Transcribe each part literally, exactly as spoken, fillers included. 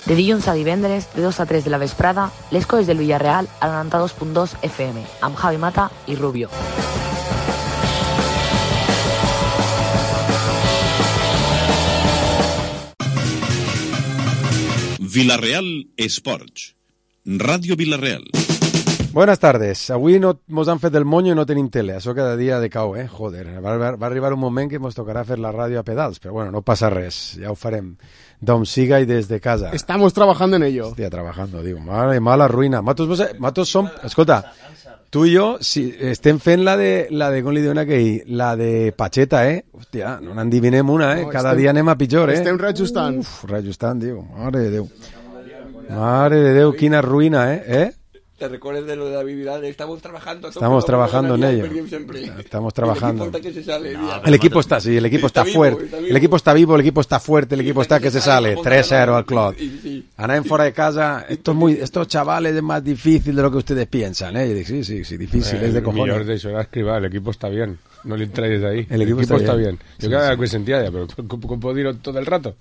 De dilluns a divendres, de dos a tres de la vesprada, les coses del Villarreal a noranta-dos punt dos F M, amb Javi Mata i Rubio. Villarreal Esports, Ràdio Villarreal. Buenas tardes. Avui no mos han fet el monyo i no tenim tele. Això cada dia de cau, eh? Joder, va, va, va arribar un moment que mos tocarà fer la ràdio a pedals, però bueno, no passa res. Ja ho farem d'on siga i des de casa. Estamos trabajando en ello. Hòstia, trabajando, digo. Mala, mala ruïna. Matos, matos som... Escolta, tu i jo si estem fent la de, la de com li diuen aquell, la de Pacheta, eh? Hòstia, no n'endivinem una, eh? No, cada estem, dia anem a pitjor, eh? Estem reajustant. Uf, reajustant, digo. Mare de Déu. Mare de Déu, quina ruïna, eh? Eh? Te recuerdes de lo de la Vidal, estamos trabajando. Estamos trabajando en ello. Estamos trabajando. El equipo está, sí, el equipo está fuerte. El equipo está vivo, el equipo está fuerte, el equipo está que se sale. tres cero al Clot. Andan fuera de casa. Esto es muy, estos chavales es más difícil de lo que ustedes piensan, ¿eh? Sí, sí, sí, difícil, eh, es de cojones. Millor d'això d'escrivar, el equipo está bien. No le traes de ahí. El equipo, el equipo está, está bien. bien. Yo sí, cada vez que sentía ya, pero ¿cómo puedo decirlo todo el rato?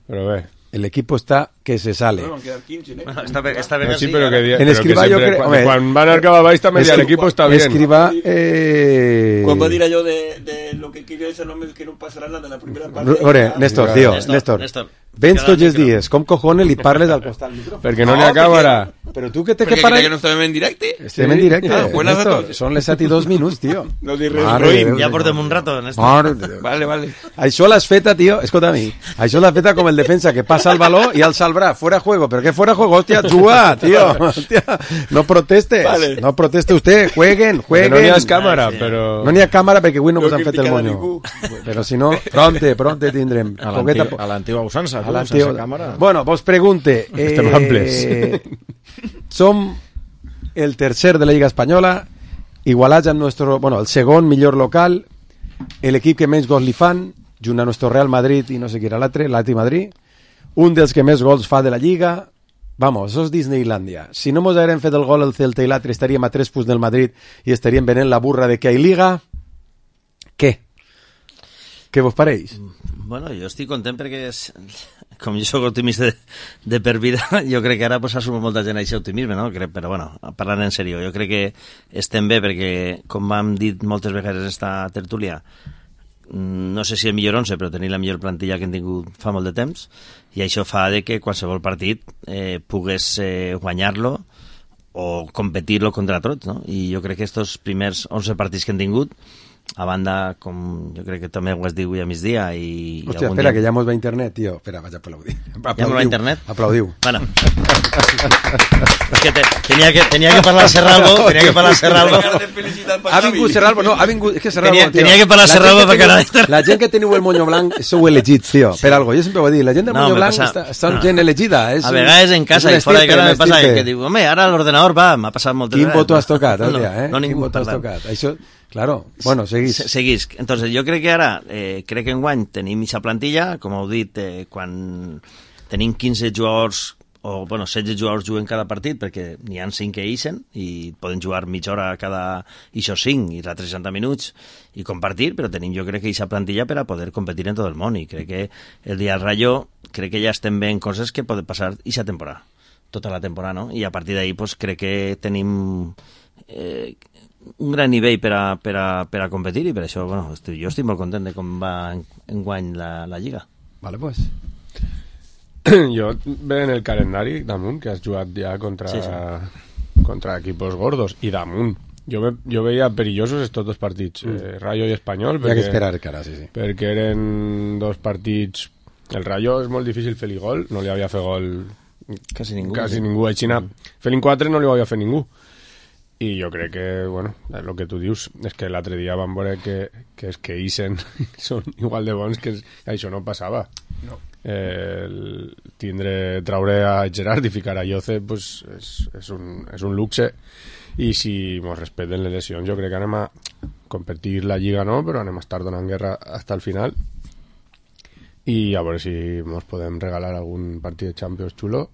Pero ve. El equipo está que se sale. Bueno, quedar quince, ¿eh? Bueno, esta vez, esta vez no, sí, sí, pero que en Escribà yo creo... Cuando, cuando van al Cava Baix també el equipo está bien. Escribà... Eh... Quan va dir allò de, de lo que quiere ese nombre que no pasará nada en la primera parte... Ore, Néstor, tío, Néstor, Néstor. Néstor. Vens tots els dies, com cojones li parles al costat del micròfon? Perquè no n'hi ha càmera. Però tu què té que que parar... Perquè que no estem en directe? Estem en directe, Ah, buenas Néstor. datos. Són les set i dos minuts, tio. No dir res, Roim. Ja portem un rato, Néstor. Mare de Déu. Vale, vale. Això l'has feta, tío, escolta a mi. Això l'has feta com el defensa que passa el baló i alça el braç, fuera juego. ¿Pero qué fuera juego? Hostia, juga, tío. Hostia, no protestes. Vale. No proteste usted. Jueguen, jueguen. No n'hi ha càmera, però... No n'hi ha càmera perquè avui no No mos han fet el criticarà moño. ningú. Però si no, pronte, pronte tindrem. A Poqueta l'antiga po- a l'antiga usança, a tu, l'antiga- sense càmera. Bueno, vos pregunte. Estem amples. Eh, som el tercer de la Lliga Espanyola, igualats amb nuestro, bueno, el segon millor local, el equip que menys gols li fan, junt a nuestro Real Madrid i no sé qui era l'altre, l'Atleti Madrid, un dels que més gols fa de la Lliga. Vamos, això és Disneylandia. Si no mos haguérem fet el gol el Celta i l'altre, estaríem a tres punts del Madrid i estaríem venent la burra de que hi Liga. Què? Què vos pareix? Bueno, jo estic content perquè és, com jo soc optimista de, de per vida, jo crec que ara pues, ha sumat molta gent a aquest optimisme, no? Crec, però bueno, parlant en sèrio, jo crec que estem bé perquè, com hem dit moltes vegades esta tertúlia, no sé si el millor onze, però tenir la millor plantilla que hem tingut fa molt de temps, i això fa de que qualsevol partit eh, pogués eh, guanyar-lo o competir-lo contra tot, no? I jo crec que estos primers onze partits que hem tingut, a banda, com jo crec que també ho has dit avui a migdia i... Hòstia, espera, dia... que ja mos va internet, tio. Espera, vaig a aplaudir. Aplaudiu. Ja mos va internet? Aplaudiu. Bueno. És que te, tenia que tenia que parlar Serralbo, tenia que parlar Serralbo. Ha vingut Serralbo, no, ha vingut... És que Serralbo, tenia, tio. tenia que parlar Serralbo perquè ara... La gent que teniu el moño blanc sou elegits, tio, per algo. Jo sempre ho he dit, la gent del No, moño me blanc passa- està, són no. gent elegida. És A un- vegades en casa és i un fora de estirpe, casa me un passa estirpe. que diu, home, ara l'ordenador va, m'ha passat moltes Quin vegades. botó has tocat, no, hòstia, eh? No, Quin ningú, botó has per tant. tocat? Això, claro, bueno, seguís. Se- Seguís. Entonces, jo crec que ara, eh, crec que enguany tenim aquesta plantilla, com heu dit, eh, quan tenim quinze jugadors, o bueno, setze jugadors juguen cada partit, perquè n'hi ha cinc que ixen, i poden jugar mitja hora cada ixos cinc, i l'altre seixanta minuts, i compartir, però tenim jo crec que aquesta plantilla per a poder competir en tot el món, i crec que el dia del Rayo, crec que ja estem veient coses que poden passar aquesta temporada, tota la temporada, no? I a partir d'ahí, pues, crec que tenim... Eh, un gran nivell per a, per a, per a competir i per això, bueno, estic, jo estic molt content de com va en, enguany la, la Lliga. Vale, pues. Jo ve en el calendari damunt que has jugat ja contra, Sí, sí. contra equipos gordos i damunt. Jo, ve, jo veia perillosos estos dos partits, mm. eh, Rayo i Espanyol, Hi ha que perquè, esperar, cara, sí, sí. perquè eren dos partits... El Rayo és molt difícil fer-li gol, no li havia fet gol Quasi ningú. quasi sí. ningú a Xina. Mm. Fer-li quatre no li havia fet ningú. I jo crec que, bueno, el que tu dius és que l'altre dia vam veure que, que és que Isen són igual de bons que això no passava. No. Eh, el, tindre, traure a Gerard i ficar a Yoce pues, és, és, un, és un luxe, i si mos respecten les lesions jo crec que anem a competir la Lliga, no, però anem a estar donant guerra fins al final, i a veure si mos podem regalar algun partit de Champions xulo.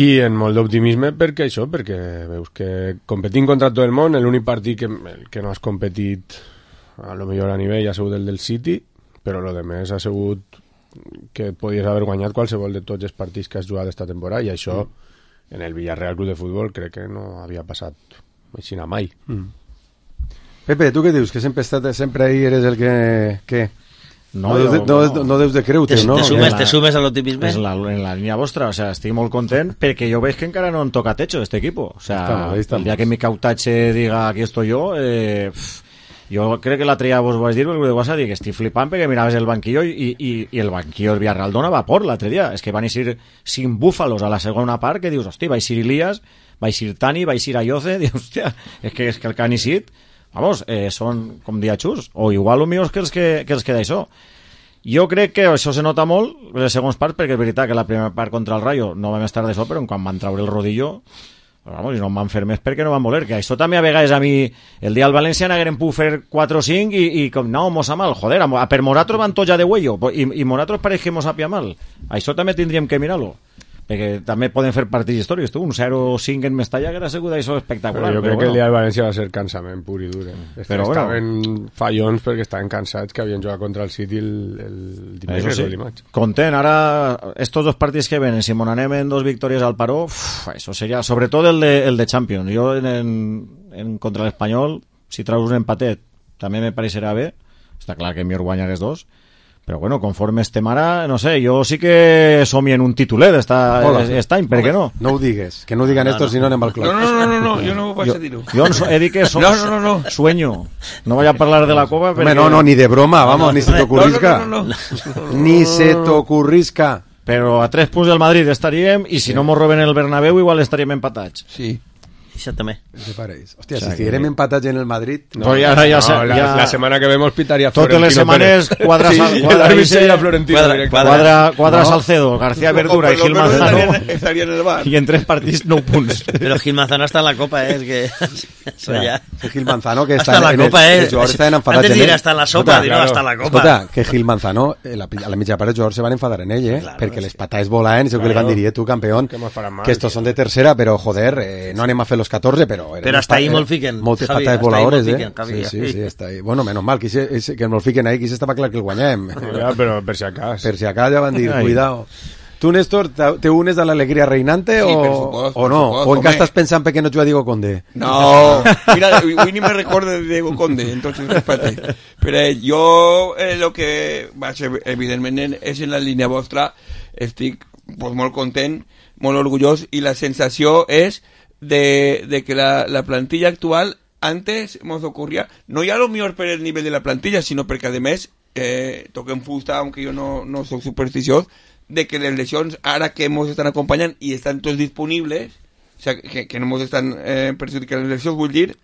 I en molt d'optimisme perquè això, perquè veus que competint contra tot el món, l'únic partit que, el que no has competit a lo millor a nivell ha sigut el del City, però lo de més ha sigut que podies haver guanyat qualsevol de tots els partits que has jugat esta temporada, i això mm. en el Villarreal Club de Futbol crec que no havia passat així mai. Mm. Pepe, tu què dius? Que sempre, estat, sempre ahí eres el que... que... No, no, deus de, no, no. no deus de creure, te, no? Te sumes, te sumes a l'optimisme. En la, en la línia vostra, o sea, estic molt content perquè jo veig que encara no en toca techo este equipo. O sea, estamos, estamos. El día que mi cautache diga aquí estoy yo, eh, pff, jo crec que l'altre dia vos vaig dir, vos vas a dir que estic flipant perquè miraves el banquillo i, i, i el banquillo del Villarreal dona vapor l'altre dia. És que van eixir cinc búfalos a la segona part que dius, hosti, va eixir Ilías, va eixir Tani, va eixir Ayoce, dius, hòstia, és que, és que el que han eixit, vamos, eh, són com diachús, o igual o millors que els que, que els que d'això. Jo crec que això se nota molt les segons parts, perquè és veritat que la primera part contra el Rayo no vam estar d'això, però quan van treure el rodillo, vamos, i no em van fer més perquè no van voler, que això també a vegades a mi el dia del València n'hagueren pogut fer quatre o cinc i, i com, no, mos ha mal, joder, a per Moratros van tots ja de huello i, i Moratros pareix que mos apia mal, això també tindríem que mirar-lo, perquè també poden fer partits històrics, tu, un zero cinc en Mestalla que era segur d'això espectacular. Però jo però crec bueno. que el dia del València va ser cansament pur i dur. Eh? Però estaven bueno. fallons perquè estaven cansats, que havien jugat contra el City el, el dimecres sí. o dimarts. Content, ara estos dos partits que venen, si mon anem en dos victòries al Paró, uf, això seria, sobretot el de, el de Champions. Jo en, en, en contra l'Espanyol, si traus un empatet, també me pareixerà bé, està clar que millor guanyar els dos, però bueno, conforme estem ara, no sé, jo sí que somio en un tituler aquest any, per què no? No ho digues, que no ho digan no, estos no. Si no anem al club. No, no, no, no, no, jo no vaig a dir-ho. Jo he dit que so, no, no, no, no. sueño, no vaig a parlar de la cova perquè... Hombre, no, no, ni de broma, vamos, no, ni se te ocurrisca. No, no, no, no, no. Ni se te ocurrisca. Però a tres punts del Madrid estaríem, i si sí. no mos roben el Bernabéu igual estaríem empatats. Sí. Això també. Hòstia, si estiguérem empatats en el Madrid... No, pues ja, ja, no, la, ja, la setmana que vemos pitaria Florentino Pérez. Totes les setmanes quadra, sí, quadra, quadra, Florentino quadra, quadra, quadra no. Salcedo, García Verdura no, i Gil Manzano estarían en el bar. I en tres partits nou punts. Però Gil Manzano està en la Copa, eh? És que... O sea, que Gil Manzano que està en la Copa, el, eh? Els jugadors estaven enfadats Antes en de dir ell. hasta en la sopa, dir no, hasta en la Copa. Escolta, que Gil Manzano, la, a la mitja part els jugadors se van enfadar en ell, eh? Claro, perquè sí. les pataes volaven, i segur que li van dir, eh, tu, campeón, que estos son de tercera, però, joder, eh, no anem a fer los catorze, però... Però hasta ahí molt fiquen. Moltes Javi, pataes voladores, eh? Fiquen, Javi, sí, sí, sí, està ahí. Bueno, menos mal, que, se, que molt fiquen ahí, que estava clar que el guanyem. Ja, però per si acas. Per si acas ja van dir, cuidado. Tu, Néstor, te unes a l'alegria reinante sí, o, supost, o no? supost, o encara estàs pensant perquè no juga Diego Conde? No, mira, hoy ni me recuerdo de Diego Conde, entonces espérate. Pero eh, jo eh, lo que va ser, evidentment, és en la línia vostra, estic pues, molt content, molt orgullós, i la sensació és de, de que la, la plantilla actual antes nos ocurría, no ya lo mejor por el nivel de la plantilla, sino porque además eh, toquen fusta, aunque yo no, no soy supersticioso, de que las lesiones ahora que nos están acompañando y están todos disponibles, o sea, que, que no nos están eh, perjudicando las lesiones, vull dir,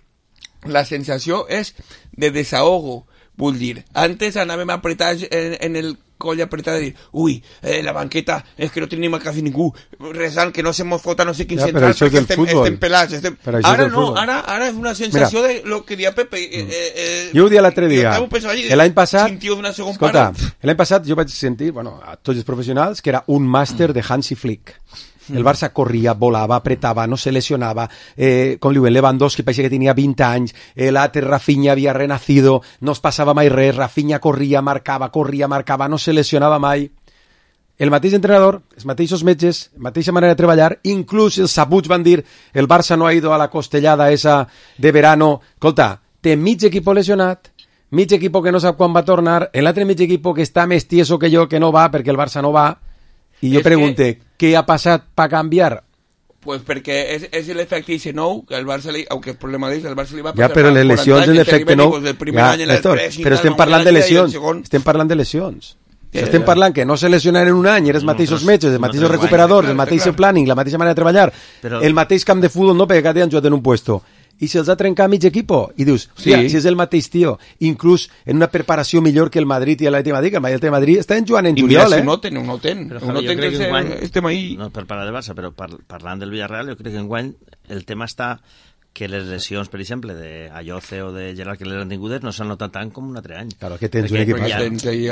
la sensación es de desahogo, vull dir. Antes anàvem apretats en, en el coll apretat de dir, ui, eh, la banqueta és que no tenim a quasi ningú, resant que no se mos fota no sé quin ja, central perquè estem, estem pelats. Estem... Ara no, ara, ara és una sensació Mira, de lo que dia Pepe. Eh, eh, jo ho dia l'altre dia, l'any passat, escolta, l'any passat jo vaig sentir, bueno, a tots els professionals, que era un màster de Hansi Flick. El Barça corria, volava, apretava, no se lesionava, eh, com li diuen, Lewandowski pareixia que tenia vint anys, eh, l'altre Rafinha havia renacido, no es passava mai res, Rafinha corria, marcava, corria, marcava, no se lesionava mai. El mateix entrenador, els mateixos metges, la mateixa manera de treballar, inclús els sabuts van dir, el Barça no ha ido a la costellada esa de verano. Escolta, té mig equip lesionat, mig equip que no sap quan va tornar, l'altre mig equip que està més tieso que jo, que no va, perquè el Barça no va. I jo pregunte, que... què ha passat per canviar? Pues perquè és, és l'efecte I C nou, que el Barça li, aunque el problema és el Barça li va passar... Ja, però les lesions és l'efecte nou. Ja, Néstor, però estem parlant de lesions. Estem parlant de lesions. Yeah, estem yeah. parlant que no se lesionaran en un any, els mateixos no, metges, els mateixos no recuperadors, el mateix planning, la mateixa manera de treballar, però... el mateix camp de futbol, no, perquè cada dia han jugat en un puesto. I si els ha trencat mig equipo, i dius, hòstia, sí. si és el mateix tio, inclús en una preparació millor que el Madrid i l'Atlètic de Madrid, que el Madrid de Madrid estan jugant en juliol, eh? I mira, si ho noten, ho noten, ho noten que, que enguany... estem ahí. No, per parlar de Barça, però par parlant del Villarreal, jo crec que enguany el tema està que les lesions, per exemple, de Ayoce o de Gerard, que les han tingudes, no s'han notat tant com un altre any. Claro, que tens un equip. Ja,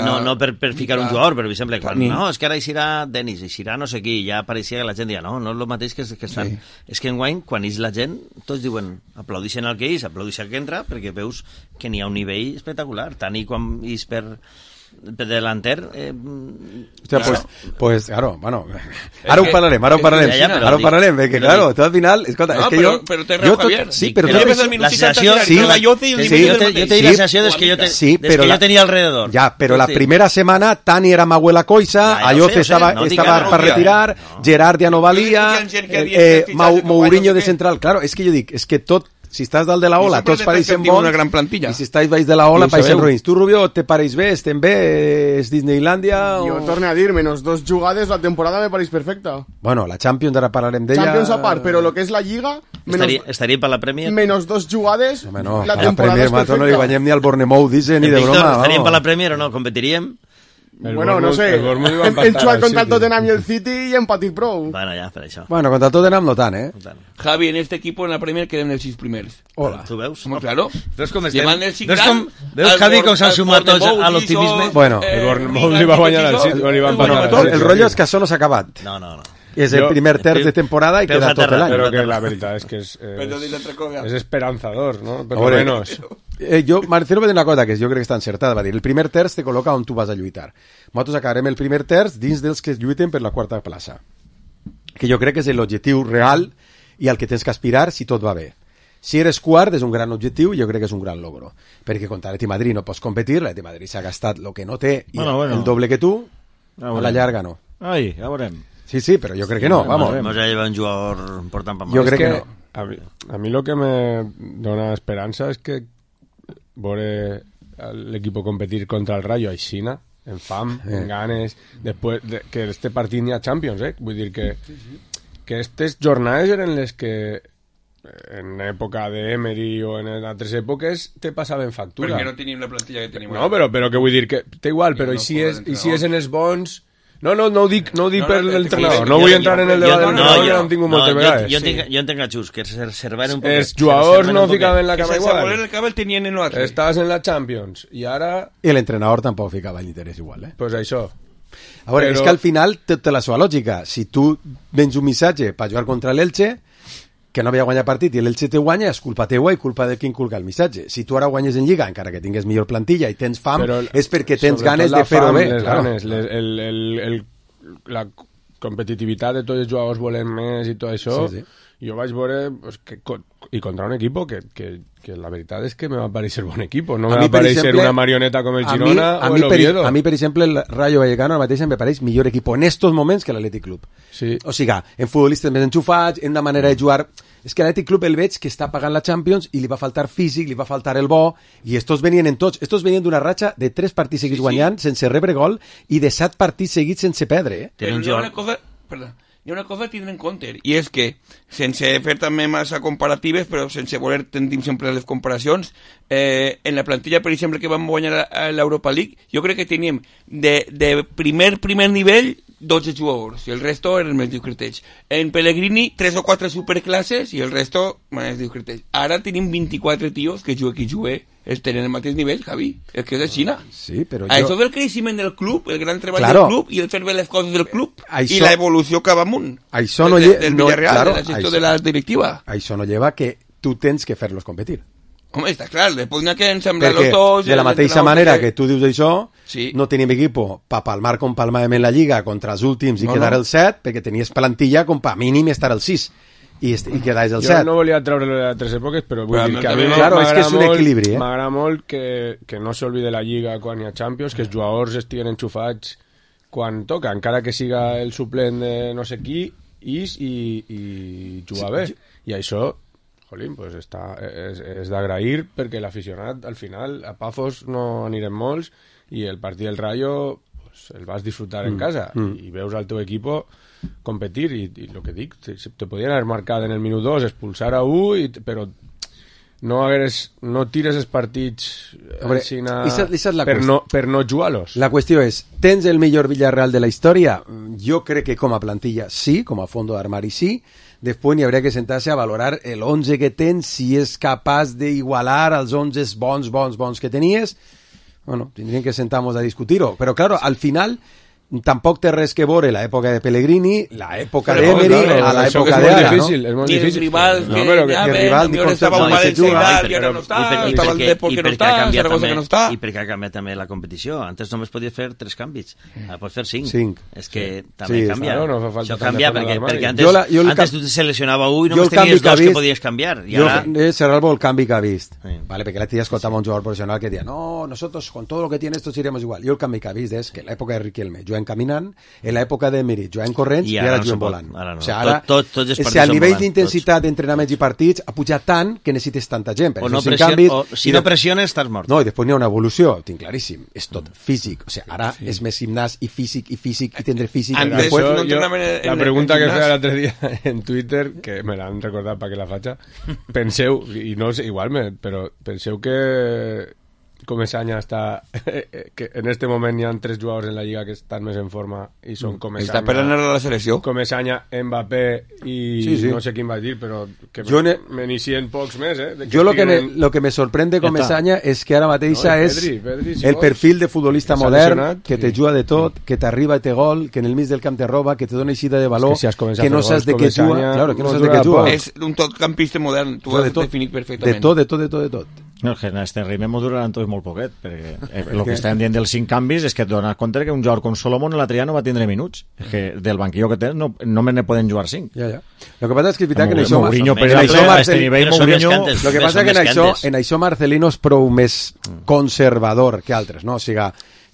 no, no per, per ficar un jugador, però, per exemple, quan, no, és que ara eixirà Denis, eixirà no sé qui, ja apareixia que la gent dia, no, no és el mateix que, que estan. Sí. És que enguany, quan és la gent, tots diuen, aplaudixen el que és, aplaudixen el que entra, perquè veus que n'hi ha un nivell espectacular. Tant i quan és per... delanter... Eh, Hòstia, pues, pues, claro, bueno... Ara ho parlarem, ara ho parlarem. Ja, ja, però ara ho parlarem, perquè, però claro, dic- tu al final... Escolta, No, és que però- jo... però té jo raó, tot- Javier. Sí, Dic, però... però tu- ves al minut la seixanta sensació- tirar sí, la Lloce i el sí, minut jo, del te, jo mateix. te dic Sí. la sensació des que jo, te, Sí, des però que la- jo tenia alrededor. Ja, però la Hosti. primera setmana Tani era Mahuela Coisa, Ja, ja ho Ayoce sé, ho sé, estava, no dic estava que no, per ja. retirar, Gerard ja no valia, Jo dic que hi ha gent que eh, havia eh, fet fitxatge Mau- que Mourinho no sé de què. central. Claro, és que jo dic, és que tot, si estàs dalt de la Jo ola, sempre tots he pareixen tingut bons, una gran plantilla. i si estàs baix de la ola, I ho pareixen sabeu. ruïns. Tu, Rubio, te pareix bé, estem bé, és Disneylàndia Jo o... torno a dir, menos dos jugades, la temporada me pareix perfecta. Bueno, la Champions, ara parlarem d'ella... Champions a part, però lo que és la Lliga, menos, Estaria, estaria per la Premier? menos dos jugades, Home, no, la a la temporada Premier, és mato, no li perfecta. guanyem ni al Bournemouth, dice, ni de Víctor, broma. estaríem per vamos. la Premier o no? Competiríem? El Bueno, no Bournemouth- sé, el Bournemouth iba a hem, hem empatar jugat al contra el City. Tottenham i el City i hem patit prou. Bueno, ja, per això. Bueno, contra el Tottenham no tant, eh? Javi, en este equipo en la Premier queden els sis primers. Hola. Tu veus? Home, claro. Veus com estem? Llevant el cinc Veus gran, com... Veus, al Javi, Bor- com s'han al sumat tots Bournemouth, a l'optimisme? Giso, Bueno. eh, El Bournemouth Milan, li va guanyar al Giso, City, no li van el empatar al Bournemouth. City. El rotllo és que això no s'ha acabat. No, no, no. És el Jo- primer terç de temporada i Peus queda a tot terra, l'any. Pero que la verdad es que es, Perdó, dic l'altra cosa. es, es esperanzador, ¿no? Por lo Ahora, menos. Eh, jo, Marcelo va dir una cosa que jo crec que està encertada, va dir, el primer terç te col·loca on tu vas a lluitar. Nosaltres acabarem el primer terç dins dels que lluiten per la quarta plaça, que jo crec que és l'objectiu real i al que tens que aspirar si tot va bé. Si eres quart és un gran objectiu i jo crec que és un gran logro, perquè contra l'Atleti Madrid no pots competir, l'Atleti Madrid s'ha gastat el que no té i Bueno, el, bueno. el doble que tu, Ja a veurem. la llarga no. Ai, ja veurem. Sí, sí, però jo crec que no, vamos. Vamos a llevar un jugador important per Jo Es crec que que no. A mí, a mí lo que me dona esperanza es que veure el equipo competir contra el Rayo a China, en fam, Eh. en ganes, després de, que este partit n'hi ha Champions, eh? Vull dir que, que aquestes jornades eren les que en època d'Emery o en altres èpoques te passaven factura. Perquè no tenim la plantilla que tenim. No, però, però que vull dir que té igual, Ja però no i si, posa és, i si l'entrenador. és en els bons... No, no, no ho dic, no ho dic No, per no, l'entrenador, jo- no vull jo- entrar en el jo- debat jo- del no, entrenador, jo- ja ho hem tingut no, moltes jo, vegades. jo, entenc, jo entenc a Xus, que se reserven un poc. Els jugadors no ficaven la Que cama sense voler igual. el cabell tenien en l'altre. Estàs en la Champions i ara, I l'entrenador tampoc ficava l'interès igual, eh? pues això. A veure, Però- és que al final té té la seva lògica. Si tu vens un missatge per jugar contra l'Elche, que no havia guanyat partit i l'Elche te guanya, és culpa teua i culpa de qui inculca el missatge. Si tu ara guanyes en Lliga, encara que tingues millor plantilla i tens fam, Però és perquè tens sobretot ganes la de fer-ho fam, bé. Les Claro. ganes, les, el, el, el, la competitivitat de tots els jugadors volen més i tot això. Sí, sí. Jo vaig veure pues, que, co- i contra un equipo que, que, que la veritat és que me va parecer bon equipo. No A me mi, va per parecer exemple, una marioneta com el a Girona mi, a o mi, el per, Oviedo. a mi, per exemple, el Rayo Vallecano ara mateix em pareix millor equip en estos moments que l'Atlètic Club. Sí. O sigui, en futbolistes més enxufats, en una manera de jugar... És que l'Atlètic Club el veig que està pagant la Champions i li va faltar físic, li va faltar el bo, i estos venien en tots. Estos venien d'una ratxa de tres partits seguits Sí, sí. guanyant sense rebre gol i de set partits seguits sense perdre. Eh? Tiene un Però hi ha jugador- una cosa... Perdó. Hi ha una cosa a tindre en compte, i és que, sense fer també massa comparatives, però sense voler tendim sempre les comparacions, eh, en la plantilla, per exemple, que vam guanyar a l'Europa League, jo crec que teníem de, de primer, primer nivell dotze jugadors, i el resto eren més discretets. En Pellegrini, tres o quatre superclasses, i el resto més discretets. Ara tenim vint-i-quatre tios que juguen qui juguen, es tenen el mateix nivell, Javi, el que és de Xina. Sí, però Això jo... del creixement del club, el gran treball Claro. del club i el fer bé les coses del club Això- i l'evolució cap amunt Això no del, lle- del no- Villarreal, claro, de la gestió això- de la directiva. Això no lleva que tu tens que fer-los competir. Home, està clar, després n'hi ha que ensamblar-los Perquè tots... de la el mateixa entrenador manera que- que tu dius això, Sí. no tenim equipo pa palmar com palmàvem en la Lliga contra els últims i No, quedar no. el set, perquè tenies plantilla com pa mínim estar el sis i, est- i quedaves el Jo set. no volia treure-lo de les tres èpoques, però vull Però a dir mi que a mi també- Claro, és que és un m'agrada molt- equilibri, eh? M'agrada molt que, que no s'olvide la Lliga quan hi ha Champions, que els jugadors estiguen enxufats quan toca, encara que siga el suplent de no sé qui, is i, i jugar bé. I això, jolín, pues està, és, és d'agrair perquè l'aficionat, al final, a Pafos no anirem molts i el partit del Rayo pues, el vas disfrutar en casa i veus al teu equipo competir i, i el que dic, te, te podien haver marcat en el minut dos, expulsar a un i, però no hagueres, no tires els partits Hombre, així na- esa- esa és la per, qüestió. no, per no jugar-los. La qüestió és, tens el millor Villarreal de la història? Jo crec que com a plantilla sí, com a fondo d'armari sí. Després n'hi hauria que sentar-se a valorar el onze que tens, si és capaç d'igualar els onze bons, bons, bons que tenies. Bueno, tindríem que sentar-nos a discutir-ho. Però, claro, al final, tampoc té res que veure l'època de Pellegrini, l'època Però, d'Emery, claro, a això l'època que és molt d'ara, no? difícil, és molt Ni el difícil. rival No, que però que- llamen, que el rival millor ni estava contra un el València i juga, tal, i però- ara no està, I estava el perquè- Depor i que no perquè està, ha canviat Saragossa també- que no està. I perquè ha canviat també la competició. Antes només podies fer tres canvis. Ara pots fer cinc. Cinc. És que també Sí, canvia. claro, no fa falta Això tanta canvia fama perquè, d'armari. perquè antes, Jo la- jo el antes cap- tu te seleccionava un i Jo només el canvi tenies que ha dos que vist- podies canviar. I Jo, ara... eh, Serralbo, el canvi que ha vist. Sí. Vale, porque la tía escoltaba a un jugador profesional que decía, no, nosotros con todo lo que tiene esto iremos igual. Yo el canvi que ha vist és que en l'època de Riquelme juguen caminant, en l'època d'Emery juguen corrents I i ara ara no juguen se pot, volant. ara no. O sigui, ara, Tot- tot- tots els o partits sigui, el són nivell volant, d'intensitat d'entrenaments i partits ha pujat tant que necessites tanta gent. Per O això no cinc pression, canvis, o, si i no de- pressiones, estàs mort. No, i després n'hi ha una evolució, ho tinc claríssim. És tot físic. O sigui, ara és més gimnàs i físic i físic i tindré físic. Antes i després, no Això, entrenaven en- la en- pregunta en que gimnàs. feia l'altre dia en Twitter, que me l'han recordat perquè la faig, penseu, i no sé, igual, me, però penseu que Comesaña està que en este moment hi ha tres jugadors en la Lliga que estan més en forma i són Comesaña, Està per anar a la selecció. Comesaña, Mbappé i Sí, sí. no sé quin vaig dir, però que Jo ne- me n'inicien pocs més, eh? de jo lo que, me, estiguen en- lo que me sorprende Ja com està. Mesaña és que ara mateixa No, i és Pedri, Pedri, si el vols. perfil de futbolista Que s'ha modern, lesionat, que te sí. juga de tot, que t'arriba i te gol, que en el mig del camp te roba, que te dona eixida de valor, És que si has començat que no a fer saps de gols, què juga, Comesaña, claro, que no no saps de juga què juga. poc. És un totcampista modern, tu ho Juga de has tot, definit de perfectament. tot, de tot, de tot, de tot. No, és que en este ritme durarà tot molt poquet, perquè eh, el que estem dient dels cinc canvis és que et dones compte que un jugador com Solomon l'altre dia no va tindre minuts. És que del banquillo que tens no, només ne poden jugar cinc. Ja, ja. Lo que passa és que és veritat que en Mou- això... Mourinho, Són per menys exemple, cantes, a este nivell, però són Mourinho... més cantes. Lo que Més passa són que en més això, cantes. en això Marcelino és prou més conservador que altres, no? O sigui,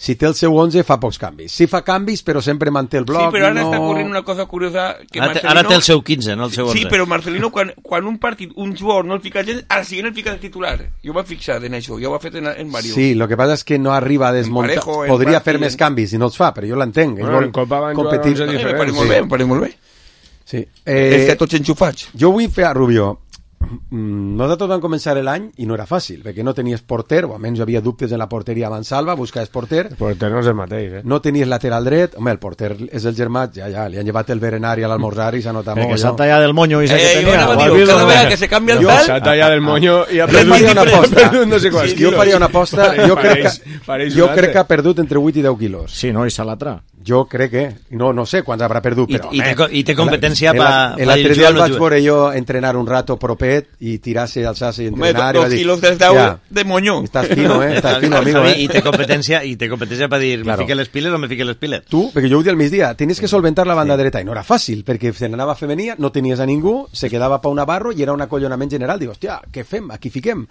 si té el seu onze fa pocs canvis. Sí fa canvis, però sempre manté el Sí, bloc. però ara no... està ocorrent una cosa curiosa que Ara, té- Marcelino... ara té el seu quinze, no el seu onze. Sí, però Marcelino, quan, quan un partit, un jugador no el fica gens, al siguiente el fica de titular. Jo m'he fixat en això, jo ho he fet en, en varios. Sí, lo que passa és que no arriba a desmuntar. Parejo, en Podria Barça fer i més en- canvis i no els fa, però jo l'entenc. És Bueno, molt en Copa van jugar competit. onze Eh, me diferents. pareix molt bé, em pareix molt bé. Sí. Eh... Eh, Estem tots enxufats. jo vull fer a Rubio. Mm, Nosaltres vam començar l'any i no era fàcil, perquè no tenies porter, o almenys hi havia dubtes en la porteria a Mansalva, buscaves porter, El porter no és el mateix, eh? no tenies lateral dret, home, el porter és el germà, ja, ja, li han llevat el berenari a l'almorzar i s'ha notat El molt. que s'ha no? tallat el moño i s'ha Eh, que jo tenia. anava a ho has dir, vist, cada no? vegada que se canvia el Jo- tal... S'ha tallat el moño i ha Jo perdut, faria una aposta. ha perdut no sé quants Jo quilos. faria una aposta, jo crec Pareix- que, pareix jo un crec altre. que ha perdut entre vuit i deu quilos. Sí, no? I Salatra. Jo crec que, no, no sé quants haurà perdut, I- però... i té home, co- i té competència el- pa- el- pa L'altre ir dia el jugant o vaig jugar. veure jo entrenar un rato propet i tirar-se, alçar-se i Home, entrenar. i dos va dir, quilos des deu "Ja, de moño. estàs fino, eh? Estàs fino, amigo, I eh? té competència, i té competència per dir, Claro. me fique les piles o me fique les piles. Tu, perquè jo ho dic al migdia, tenies que solventar la banda dreta i no era fàcil, perquè se n'anava femenia, no tenies a ningú, se quedava Pau Navarro i era un acollonament general. Dic, hòstia, què fem? Aquí fiquem.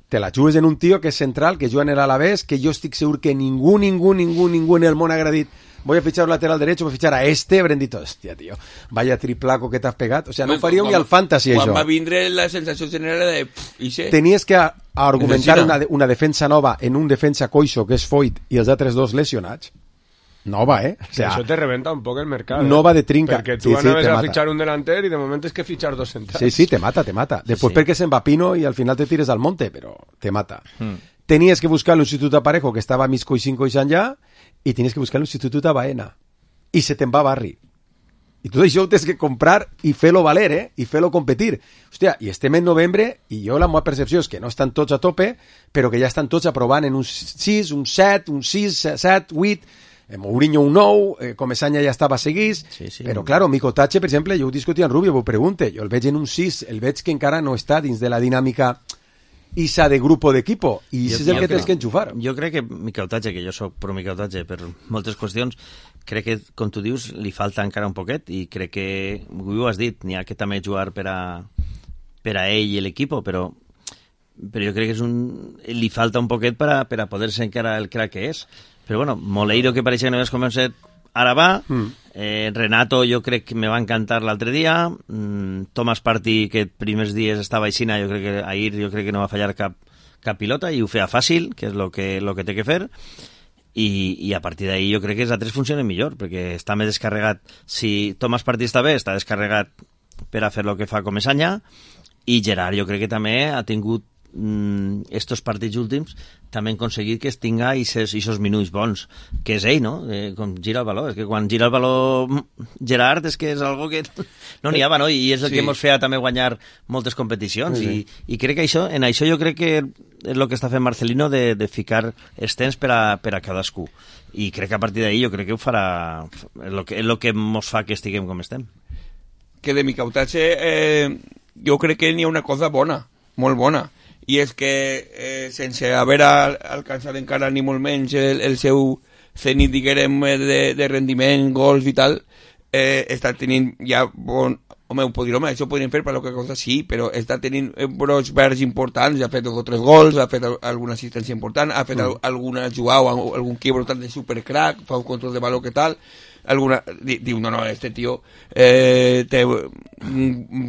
Te la jugues en un tio que és central, que juga en l'Alavés, que jo estic segur que ningú, ningú, ningú, ningú en el món ha agradit. Voy a fichar un lateral derecho, voy a fichar a este, habrán dit, hòstia, tio, vaya triplaco que t'has pegat. O sigui, no ho faríeu ni al fantasy, Quan això. va vindre la sensació general de... Pff, i sé, Tenies que a- argumentar Necessita. una, de- una defensa nova en un defensa coixo, que és Foyt, i els altres dos lesionats. Nova, eh? O Que sea, això te rebenta un poc el mercat. no eh? va de trinca. Perquè Sí, tu sí, anaves te a mata. fitxar un delanter i de moment és que fitxar dos centrals. sí, sí, te mata, te mata. Después sí. perquè se'n va Pino i al final te tires al monte, però te mata. Hmm. Tenies que buscar un substitut a Parejo que estava mig coixín coixant ja i tenies que buscar un substitut a Baena. I se te'n va Barri. I tot això ho tens que comprar i fer-lo valer, eh? I fer-lo competir. Hòstia, i estem en novembre i jo la meva percepció és que no estan tots a tope, però que ja estan tots aprovant en un sis, un set, un sis, set, vuit, eh, Mourinho un nou, eh, Comesaña ja estava seguís, Sí, sí. però claro, Micotache, per exemple, jo ho discutia amb Rubio, ho pregunte, jo el veig en un sis, el veig que encara no està dins de la dinàmica isa de grupo d'equipo, i això és el que tens que enxufar. Jo crec que Micautatge, que jo sóc pro Micautatge per moltes qüestions, crec que, com tu dius, li falta encara un poquet i crec que, ho has dit, n'hi ha que també jugar per a, per a ell i l'equip, però, però jo crec que és un, li falta un poquet per a, per a poder ser encara el crack que és. Però bueno, Moleiro, que pareixia que no havies començat, ara va. Mm. Eh, Renato, jo crec que me va encantar l'altre dia. Mm, Thomas Partey, que primers dies estava aixina, jo crec que ahir jo crec que no va fallar cap, cap pilota i ho feia fàcil, que és el que, lo que té que fer. I, i a partir d'ahí jo crec que els altres funcionen millor, perquè està més descarregat. Si Thomas Partey està bé, està descarregat per a fer el que fa Comesaña, i Gerard jo crec que també ha tingut mm, estos partits últims també han aconseguit que es tinga aquests minuts bons, que és ell, no? Eh, com gira el baló, és que quan gira el baló Gerard és que és algo que no n'hi ha, no? I és el sí. que ens feia també guanyar moltes competicions, sí, sí. I, i crec que això, en això jo crec que és el que està fent Marcelino de, de ficar els temps per a, per a cadascú, i crec que a partir d'ahí jo crec que ho farà, és el que, és el que mos fa que estiguem com estem. Que de Micautatge eh, jo crec que n'hi ha una cosa bona, molt bona, i és que eh, sense haver alcançat encara ni molt menys el, el seu cenit, diguem, de, de rendiment, gols i tal, eh, està tenint ja bon... Home, ho podria, home, això ho podríem fer per qualque cosa, sí, però està tenint brots verds importants, ha fet dos o tres gols, ha fet alguna assistència important, ha fet mm. alguna jugada, algun quiebro tal de supercrack, fa un control de valor que tal, alguna, diu, no, no, este tio eh, té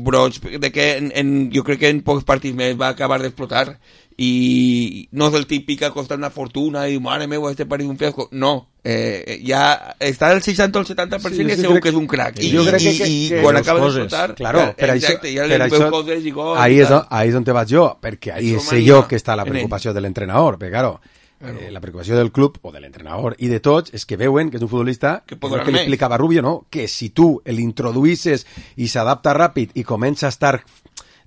brots de que en, en, jo crec que en pocs partits més va acabar d'explotar, i no és el típic que ha costat una fortuna i mare meva, este partit un fiasco, no, eh, ja està al seixanta o el setanta per cent sí, i segur que és un crack, i, jo crec i, que, i, que, i quan acaba d'explotar, claro, per exacte, això, ja per li això, veu coses i gols, ahí, és, ahí és on te vaig jo, perquè ahí sé jo que està la preocupació de l'entrenador, perquè claro, Claro. Eh, la preocupació del club o de l'entrenador i de tots és que veuen que és un futbolista que, que li explicava Rubio, no? Que si tu l'introduïsses i s'adapta ràpid i comença a estar,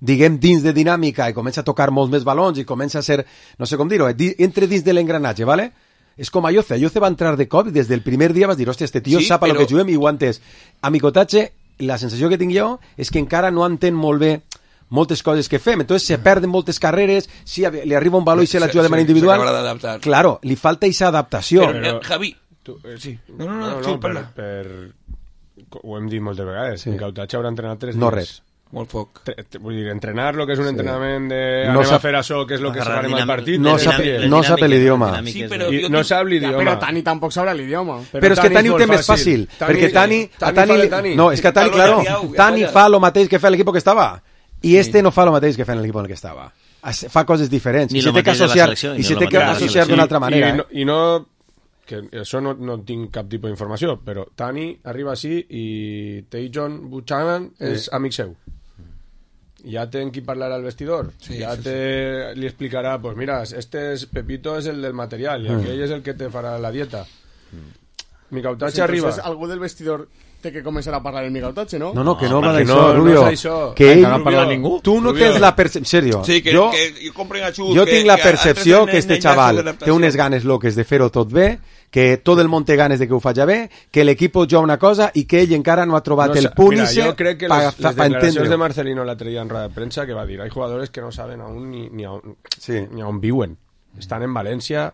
diguem, dins de dinàmica i comença a tocar molts més balons i comença a ser, no sé com dir-ho, entre dins de l'engranatge, ¿vale? És com Ayoce. Ayoce va entrar de cop i des del primer dia vas dir, hòstia, este tio sí, sap a però... lo que juguem i ho ha entès. A Micautatge, la sensació que tinc jo és que encara no entén molt bé moltes coses que fem, entonces se perden moltes carreres, si li arriba un valor i se la juga de manera individual, claro, li falta aquesta adaptació. Però, però Javi, tu, eh, sí. no, no, no, no, no per, per, ho hem dit moltes vegades, sí. Micautatge haurà entrenat tres dies. No res. Molt poc. Tre, vull dir, entrenar lo que és un sí. entrenament de no anem sap, a fer això, que és lo que se farem al partit. No sap, no sap l'idioma. Sí, però I, no sap l'idioma. Però Tani tampoc sabrà l'idioma. Però, però és que Tani ho té més fàcil. Perquè Tani, a Tani, no, és que Tani, claro, Tani fa lo mateix que fa l'equip que estava. I este no fa el mateix que fa en l'equip en el que estava. Fa coses diferents. Ni I se té que associar, i se té que associar d'una altra manera. I no, i no que això no, no tinc cap tipus d'informació, però Tani arriba així i Tajon Buchanan és sí. amic seu. Ya té en qui parlar al vestidor. Sí, ya sí, te sí. li explicarà, pues mira, este es Pepito es el del material y mm. aquell és el que te farà la dieta. Mm. Micautatge pues arriba. Algú del vestidor té que començar a parlar el Micautatge, ¿no? No, no, que no, no va d'això, no, Rubio. No això. Que ell, no parla ningú. Tu no Rubio. tens la percepció... En serio. Sí, que, jo, que, que compren a xut, jo que, tinc la que percepció que este xaval té unes ganes loques de fer-ho tot bé, que tot el món té ganes de que ho faci bé, que l'equip juga una cosa i que ell encara no ha trobat no, el punt mira, i se jo crec que pa, les, pa, les declaracions de Marcelino la traía en rueda de prensa que va dir, hay jugadores que no saben aún ni, ni, aún, sí. ni aún viuen. Estan en València,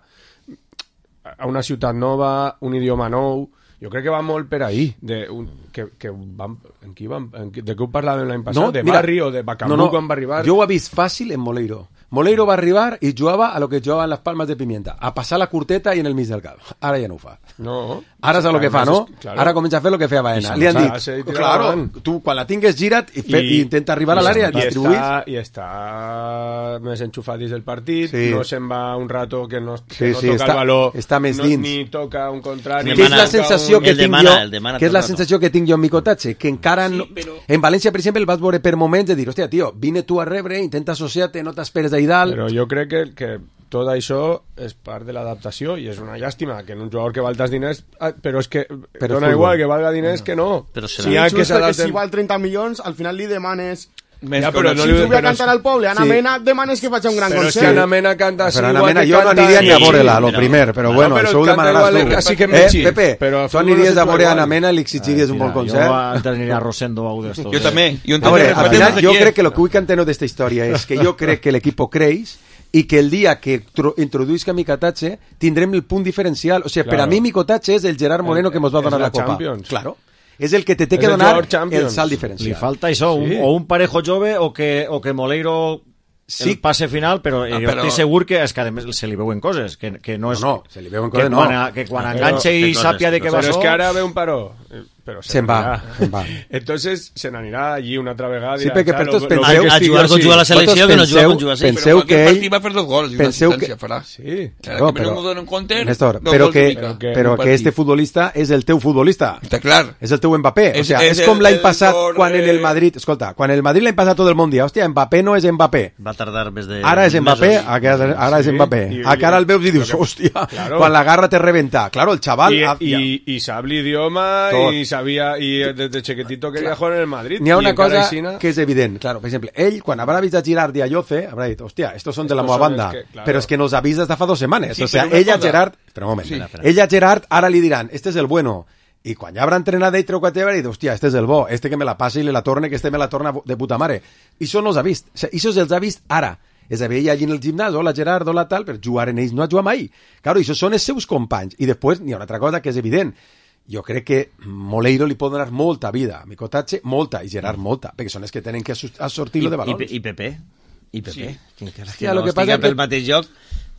a una ciutat nova, un idioma nou. Jo crec que va molt per ahí, de, un, que, que vam, en qui vam, en qui, de què ho parlàvem l'any passat? No, de mira, Barri o de Bacamú no, no, quan va arribar? Jo ho he vist fàcil en Moleiro. Moleiro va arribar i jugava a lo que jugaven les palmes de pimienta, a passar la curteta i en el mig del camp. Ara ja no ho fa. No. Ara és el que fa, no? Claro. Ara comença a fer el que feia Baena. Li han dit, sí, claro, tu quan la tingues gira't i, fe, i, i intenta arribar a l'àrea, distribuïs. I està més enxufat dins del partit, sí. no se'n va un rato que no, que sí, no sí, toca està, el valor, està més no, dins. ni toca un contrari. Que és la sensació un... que tinc demana, jo, que és la sensació que tinc jo en Micautatge, que encara sí, no... Però... En València, per exemple, el vas veure per moments de dir, hòstia, tio, vine tu a rebre, intenta associar-te, no t'esperes d'ahí dalt. Però jo crec que, que tot això és part de l'adaptació i és una llàstima que en un jugador que val tants diners, però és que però dona igual que valga diners no. que no. Però serà si, ha que si val trenta milions, al final li demanes... Ja, però si no tu ve a cantar al poble, Ana sí. Mena demanes que faci un gran però concert. Però si Ana Mena canta així, però Ana igual Mena, que jo canta... no aniria ni a veure-la, lo sí, primer, però no, bueno, però això ho demanaràs tu. Així que eh, Pepe, tu aniries a veure a Ana Mena i li exigiries un bon concert? Jo aniria a Rosendo a d'estos. Jo també. A veure, al final, jo crec que lo que vull que enteno d'esta història és que jo crec que l'equip creix i que el dia que introduïsca Micautatge tindrem el punt diferencial. O sigui, per a mi Micautatge és el Gerard Moreno que ens va donar la Copa. Claro. És el que te té que donar el salt diferencial. Li falta això, sí. un, o un parejo jove o que, o que Moleiro sí. el passe final, però no, jo però... estic segur que, és que a més se li veuen coses, que, que no és... No, no, se li veuen coses, que no. Quan, que quan enganxa i sàpia de què va Però això... és que ara ve un paró però se se'n va, se'n va. Entonces se n'anirà allí una altra vegada. Sí, perquè per tots penseu... A jugar com juga la selecció, que no juga com juga. Penseu que ell... va fer dos gols i una assistència farà. Sí, claro, però... Néstor, però que, però que este futbolista és el teu futbolista. Està clar. És el teu Mbappé. O sea, és com l'any passat quan en el Madrid... Escolta, quan el Madrid l'any passat tot el món dia, hòstia, Mbappé no és Mbappé. Va tardar més de... Ara és Mbappé, ara és Mbappé. Ara el veus i dius, hòstia, quan la garra te rebenta. Claro, el chaval... I sap l'idioma i sabia... I desde chiquitito quería jugar en el Madrid. N'hi ha una cosa que és evident. Claro, per exemple, ell, quan habrà vist a Girard i a Lloce, habrà dit, hòstia, estos són de la meva banda. Però és que nos ha vist des de fa dues setmanes. O sea, ell a Gerard... Espera un moment. Ell a Gerard ara li diran, este és el bueno. I quan ja habrà entrenat ell, treu quatre haurà dit, hòstia, este és el bo, este que me la passa i le la torne, que este me la torna de puta mare. I això no els ha vist. O sea, això se'ls ha vist ara. És a dir, ell allí en el gimnàs, hola Gerard, hola tal, per jugar en ells no ha jugat mai. Claro, això són els seus companys. I després n'hi ha una altra cosa que és evident. Jo crec que Moleiro li pot donar molta vida, Micotatge molta, i Gerard molta, perquè són els que tenen que sortir-lo de valors. I, i Pepe, i Pepe, sí. que encara Hòstia, que no estigui pel mateix joc,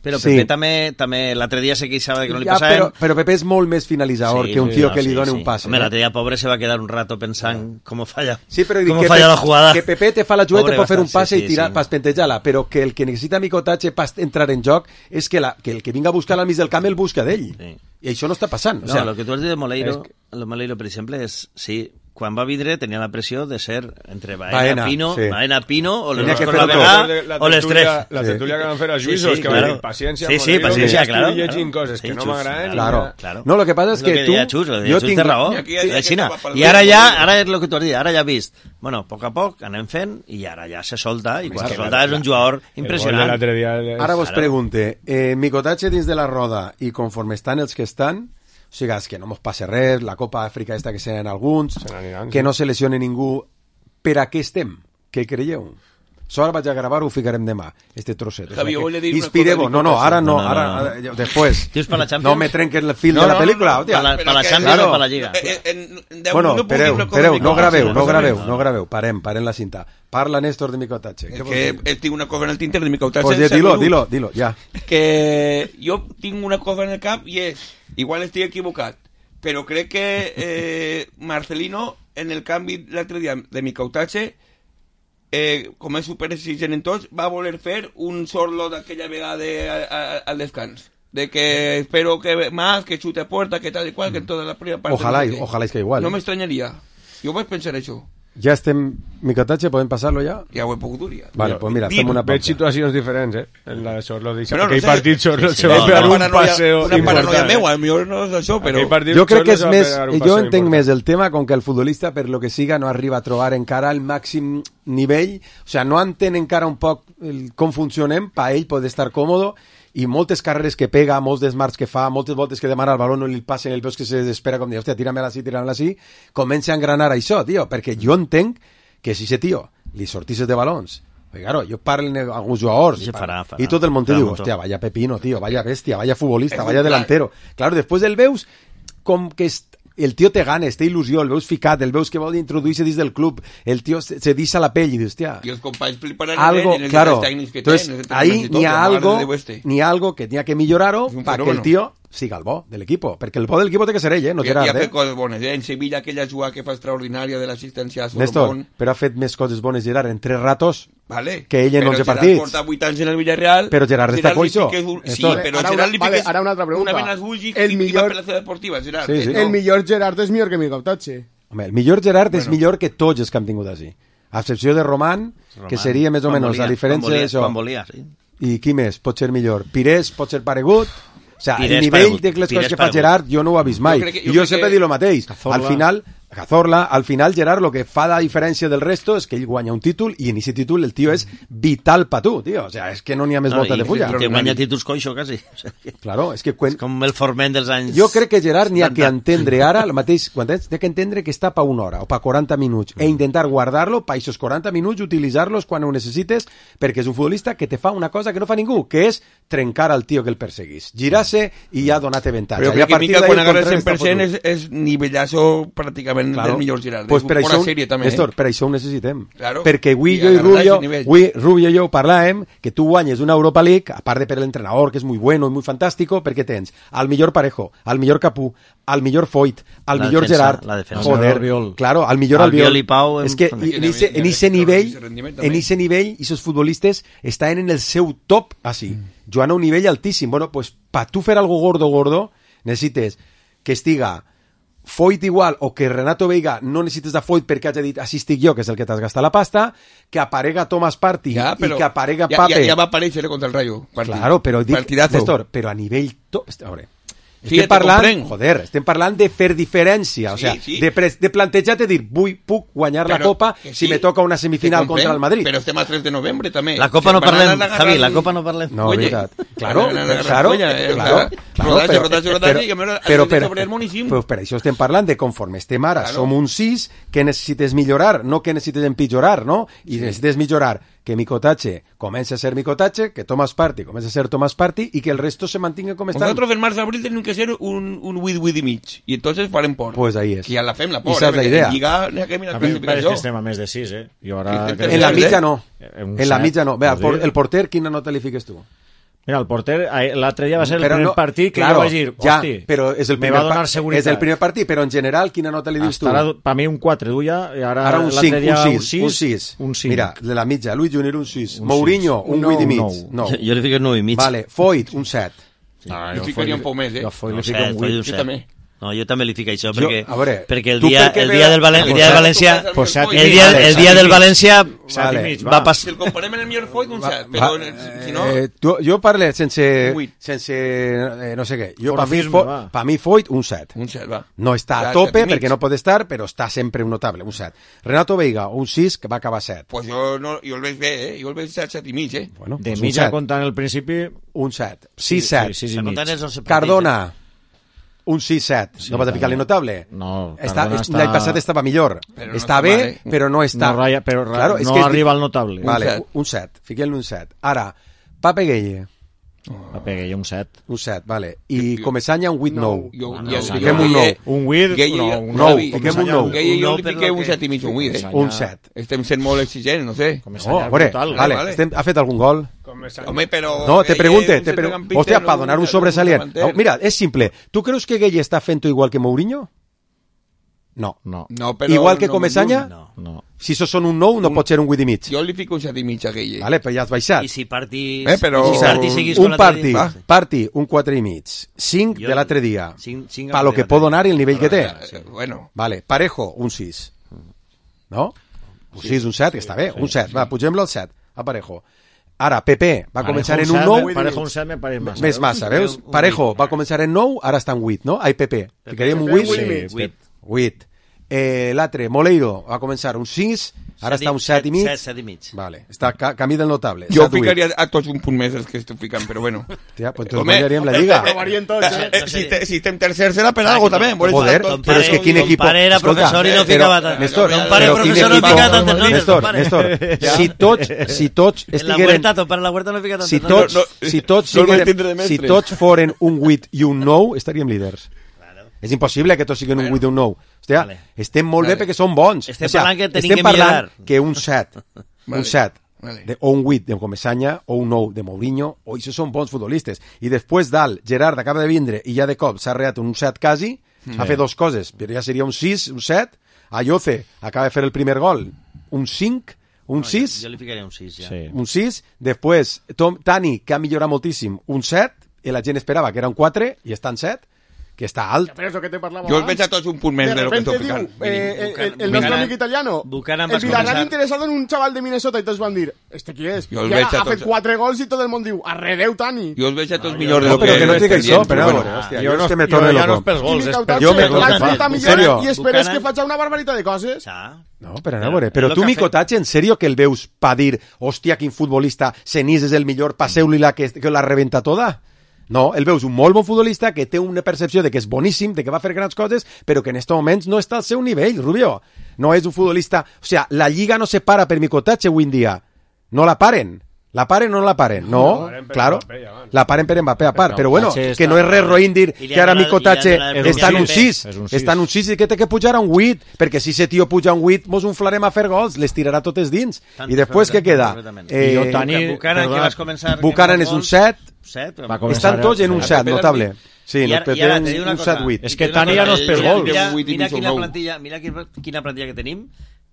però sí. Pepe també, també l'altre dia se queixava que no li ja, passaven. Però, però Pepe és molt més finalitzador sí, que un tio no, que li sí, doni sí. un pas. Home, l'altre dia pobre se va quedar un rato pensant com falla, sí, però com que falla Pepe, la jugada. Que Pepe te fa la jugada, te pot fer un passe sí, i tirar sí. pas pentejar-la, però que el que necessita Micotatge pas entrar en joc és que, la, que el que vinga a buscar al mig del camp el busca d'ell. Sí. I això no està passant. No, o sea, el que tu has dit de Moleiro, que... el Moleiro, per exemple, és... Sí, quan va vindre tenia la pressió de ser entre Baena, Baena Pino, sí. Baena, Pino o les dos per la vegada o les tres. La tertúlia sí. que van fer els juïsos, sí, sí, que claro. van dir paciència, sí, sí, paciència, que claro, estic llegint claro. coses sí, que no xus, m'agraden. Claro, claro. No, lo que passa és que, que tu... Xus, jo tinc... raó. I, I ara ja, ara és el que tu has dit, ara ja has vist. Bueno, a poc a poc anem fent i ara ja se solta, i quan se solta és un jugador impressionant. Ara vos pregunte, eh, Micotatge dins de la roda i conforme estan els que estan, o sigui, és que no mos passa res, la Copa Àfrica esta que seran alguns, se aniran, que sí. no se lesione ningú, per a què estem? Què creieu? Això ara vaig a gravar, ho ficarem demà, este trosset. Javi, o sea, que... Inspireu, no, no, ara no, no, no, ara, no, no. Després. No me trenques el fil no, de la pel·lícula, no, no, no, no, per la Champions o per la Lliga. Bueno, espereu, espereu, no graveu, no graveu, no graveu, parem, parem la cinta. Parla, Néstor, de Micotatge. És que tinc una cosa en el tinter de Micotatge. Pues ja, dilo, dilo, dilo, ja. Que jo tinc una cosa en el cap i és, igual estic equivocat, però crec que eh, Marcelino, en el canvi l'altre dia de Micotatge, eh, com és superexigent en tots, va voler fer un sorlo d'aquella vegada al descans. De que espero que más, que chute a puerta, que tal y cual, que en toda la primera parte... Ojalá, no ojalá es que igual. No me extrañaría. Jo vaig pensar això. Ja estem... Micotatge, podem passar-lo ja? Ja ho he pogut dir. Vale, pues mira, fem una pausa. Veig situacions diferents, eh? En la de Sorlo, d'aquell no sé. Partit Sorlo se va pegar un paseo important. Una paranoia meva, a millor no és això, però... Jo crec que és més... Jo entenc més el tema com que el futbolista, per lo que siga, no arriba a trobar encara el màxim nivell, o sea, no entén encara un poc com funcionem, pa ell poder estar còmodo, i moltes carreres que pega, molts desmarts que fa, moltes voltes que demana el baló no li passen, el veus que se desespera com dir, hòstia, tírame-la així, tírame-la així, comença a engranar això, tio, perquè jo entenc que si ese tio li sortisses de balons, perquè claro, jo parlo amb alguns jugadors, i, farà, farà, i tot el món te diu, hòstia, vaya pepino, tio, vaya bestia, vaya futbolista, vaya delantero. Claro, després el veus com que el tio te ganes, té il·lusió, el veus ficat, el veus que vol introduir-se dins del club, el tio se, se deixa la pell i dius, hòstia... I els companys fliparan algo, en els claro, tècnics que entonces, tenen. Ahí n'hi ha algo, n'hi ha algo que n'hi ha que millorar-ho perquè el tio siga el bo de l'equip, perquè el bo del equip té que ser ell, eh? No Gerard, I ha fet eh? coses bones, eh? En Sevilla aquella jugada que fa extraordinària de l'assistència a Solomon. Néstor, però ha fet més coses bones Gerard en tres ratos vale. que ell en onze partits. Però Gerard porta vuit anys en el Villarreal. Però Gerard està coixo. Sí, però ara Gerard li vale, fiques ara una altra pregunta. una vena als ulls i el millor... va per la seva deportiva, Gerard. Sí, sí. Eh? No. El millor Gerard és millor que Micotatge. Home, el millor Gerard bueno. és millor que tots els que hem tingut així. A excepció de Román, Román que seria més o menys la diferència d'això. Sí. I qui més pot ser millor? Pires pot ser paregut? O sea, Pires el nivell paregut. de les Pires coses que fa paregut. Gerard jo no ho he vist mai. Jo que, jo I jo sempre que... dic el mateix. Cazorla. Al final, Cazorla, al final Gerard lo que fa la diferència del resto és que ell guanya un títol i en aquest títol el tio és vital pa tu, tio. O sea, és que no n'hi ha més no, volta de fulla. Que guanya títols coixo, quasi. O sea, que... Claro, és que... Quan... És com el Forment dels anys... Jo crec que Gerard n'hi ha que entendre ara, el mateix, quan tens, n'hi ha que entendre que està pa una hora o pa quaranta minuts mm. e intentar guardar-lo pa aquests quaranta minuts, utilitzar-los quan ho necessites, perquè és un futbolista que te fa una cosa que no fa ningú, que és trencar al tio que el perseguís. Girar-se i ja donar-te avantatge. Però crec que Mica quan agarra el cent per cent és, és nivellazo pràcticament parlaven claro. del millor Gerard. Pues per, això, sèrie, també, Néstor, eh? per això ho necessitem. Claro. Perquè avui I jo i Rubio, avui Rubio i jo parlàvem que tu guanyes una Europa League, a part de per l'entrenador, que és muy bueno i muy fantástico, perquè tens al millor Parejo, al millor Capú, al millor Foyt, al la millor defensa, Gerard, la defensa. joder, claro, al millor Albiol. Albiol i Pau. És que en ese, en ese nivell, en ese nivell, esos futbolistes estan en el seu top, así, mm. jugant a un nivell altíssim. Bueno, pues, pa tu fer algo gordo, gordo, necessites que estiga Foyt igual, o que Renato Veiga no necessites de Foyt perquè hagi dit així estic jo, que és el que t'has gastat la pasta, que aparega Thomas Partey ja, i que aparega ja, Pape. Ja, ja va aparèixer contra el Rayo. Partit. Claro, però dic, Partidazo. Néstor, però a nivell... To... A veure, Sí, estem parlant, joder, estem parlant de fer diferència, o sí, sea, sí. de, pre de plantejar de dir, vull, puc guanyar però, la Copa sí, si me toca una semifinal contra el Madrid. Però estem a tres de novembre, també. La Copa no parlem, Javi, la Copa no parlem. No, Oye, veritat. Claro, la, la, la, claro, la, claro, claro, claro, rodatge, però, rodatge, rodatge, però, i a veure, però, però, sobre el moníssim. però per això estem parlant de conforme estem ara, Claro. som un sis que necessites millorar, no que necessites empitjorar, no? I Sí. necessites millorar que Micotache comença a ser Micotache, que Thomas Partey comença a ser Thomas Partey i que el resto se mantinga com estan. Nosotros en març-abril tenim que ser un, un wid-wid i mig, i entonces farem por. Pues ahí es. Que ja la fem la por, I esa és eh? la idea. En Lliga, n'hi ha que mirar A mi em pareix classificació. que estem a més de sis, eh? Jo ara... Que estem En la Tercer, mitja eh? no. Un En la set, mitja no. Vea, vols por, dir? el porter, quina nota li fiques tu? Mira, el porter, ahí, l'altre dia va ser el Però primer no- partit que claro, jo vaig dir, ja, hosti, però és el me primer va donar pa- seguretat. És el primer partit, però en general, quina nota li dius tu? Per mi un quatre duia, i ara, Ara un l'altre cinc, dia un sis, un sis. un cinc. Mira, de la mitja, Luis Junior un sis. Un Mourinho, sis. un Un vuit i mig. nou, No. Jo, jo li fico nou i mig. Vale, Foyt, un set. Ah, Jo ficaria un poc més, eh? Jo Foyt No li sé, fico un Foyt vuit. un Jo set. també. No, jo també li fico això, Jo- perquè, a veure, perquè el tu dia, per què el me dia la- del, Valen, el dia del Pues València... set i Pues set i mig. El dia, Vale, el set dia i del mig. València Set i Vale. mig, va va. passar... Si el comparem amb el millor Foyt, un set, Va- però si no... eh, tu, jo parle sense, Vuit. sense eh, no sé què. Jo, per mi, Forofisme, Fo, va. pa mi Foyt, un set. Un set, va. No està Ja, a tope set i mig. perquè no pot estar, però està sempre un notable, un set. Renato Veiga, un sis, que va acabar set. Pues jo, no, jo el veig bé, eh? Jo el veig set, set i mig, eh? Bueno, De pues un mitja set. comptant el principi... Un set. sis set. Sí, sis i mig. Comptant els onze partits, Cardona, un sis set. Sí, no vas a ficar-li notable? No, Està, Cardona és- L'any està- passat estava millor. Però no està està bé, mal, eh? però no està... No, ratlla, però ra- Claro, és no que és arriba di- al notable. Vale, set. un set. Fiquem-li un set. Ara, Pape Gueye, Va pegar jo un set. un set, vale. I Comesaña, un vuit nou. Jo, No, ja no, fiquem un nou. Un vuit, Gueye, no, jo- un nou, Javi, fiquem un Javi, nou. Gueye, Un jo nou li per fiqué lo un que- set i mig, un vuit, eh? Un set. Estem sent molt exigents, no sé. No, a veure, brutal, vale, vale. estem, ha fet algun gol? Home, però... No, te Gueye, pregunte, un te pregunte. centrocampista, Hòstia, no para donar un un sobresalient. davanter. No, mira, és simple. Tu creus que Gueye està fent igual que Mourinho? No. No, No, però Igual que no, Comesaña? No. no. Si això són un nou, no pot ser un vuit i mig. Jo li fico un set i mig a Gueye. Vale, però ja has baixat. I si partís... Eh, però- Si partís seguís con Un l'altre parti, dia. parti, un quatre i mig. Cinc Jo- de l'altre dia. Cinc- cinc Pa lo de que l'altre pot dia. donar i el nivell que té. Eh, Bueno, Vale, Parejo, un sis. No? Un sis, un set, que està bé. Un set, va, pugem-lo al set, a Parejo. Ara, Pepe va començar en un nou, Parejo un set me pareix massa. més massa, veus? Un- un Parejo vuit. va començar en nou, ara està en vuit, no? Ai, Pepe. Ficaríem un vuit? vuit i Sí, mig. Vuit. vuit. Eh, L'altre, Moleiro, va començar un sis, ara està un set i mig. Set, set i mig. Vale, està ca camí del notable. jo set, vuit. ficaria a tots un punt més els que estic ficant, però bueno. Tia, pues entonces Home, guanyaríem la Lliga. Provarien tots, eh? Eh, si, te, si estem tercer serà per algo també. Volem Joder, estar tots- però és que quin Ton equipo... pare era Escolta, professor i no però, ficava tant. Néstor, Ton pare però quin professor no equipo- fica tantes notes, Néstor, ton pare. Néstor, si tots, si tots En la estigueren... huerta, ton pare en la huerta no fica tantes Si notes. tots, No, no, si tots, no el vaig sigueren- tindre de si mestre. tots foren un vuit i un nou, estaríem líders. És impossible que tots siguin un vuit i un nou. Hòstia, Vale. estem molt Vale. bé perquè som bons. Estem O sea, parlant que tenim estem que parlant millorar. que un set, Vale. un set, Vale. de, o un vuit de Comesaña, o un nou de Mourinho, o això són bons futbolistes. I després dalt, Gerard acaba de vindre i ja de cop s'ha reat un set quasi, ha fet dos coses, però ja seria un sis, un set. Ayoce acaba de fer el primer gol, un cinc, un No, sis, Jo, jo li ficaria un sis, ja. Sí. un sis, després Tom, Tani, que ha millorat moltíssim, un set, i la gent esperava que era un quatre, i està en set, que està alt. Però és el que te parlava Jo els abans. veig a tots un punt més de, De lo que repente estic diu, ficant. eh, el, el, el Buchanan- nostre amic italiano, Buchanan el vas Villarreal començar- interesado en un chaval de Minnesota, i tots van dir, este qui és? Jo el I veig ara a ha fet tots- quatre gols i tot el món diu, arredeu, Tani. Jo els veig a tots millors de No, lo que... però que no estem dic això, dient, però bueno. bueno, hòstia, Jo jo no, és que me jo torne ja no loco. és pels I gols, és per... Micautat Jo me- l'ha En fet a serio? millor i esperes Buchanan- que faci una barbaritat de coses. Ja. No, però a veure, però És tu, lo que ha Micotatge, en sèrio que el veus pa dir, hòstia, quin futbolista, Senís és el millor, passeu-li la que, que la rebenta toda? No, el veus un molt bon futbolista que té una percepció de que és boníssim, de que va fer grans coses, però que en aquests moments no està al seu nivell, Rubio. No és un futbolista... O sea, la Lliga no se para per Micotatge avui en dia. No la paren. La paren o no la paren? No, claro. La paren per Mbappé a part. Però bueno, que no és res roïn dir que ara Mico Tatxe està en un sis. Està en un sis i que té que pujar a un vuit. Perquè si ese tio puja a un vuit, mos inflarem a fer gols. Les tirarà totes dins. I després què queda? Buchanan és un set. Estan tots en un set, notable. Sí, no, però tenen un set vuit. És que Tani ja no és per gol. Mira quina plantilla, mira quina plantilla que tenim,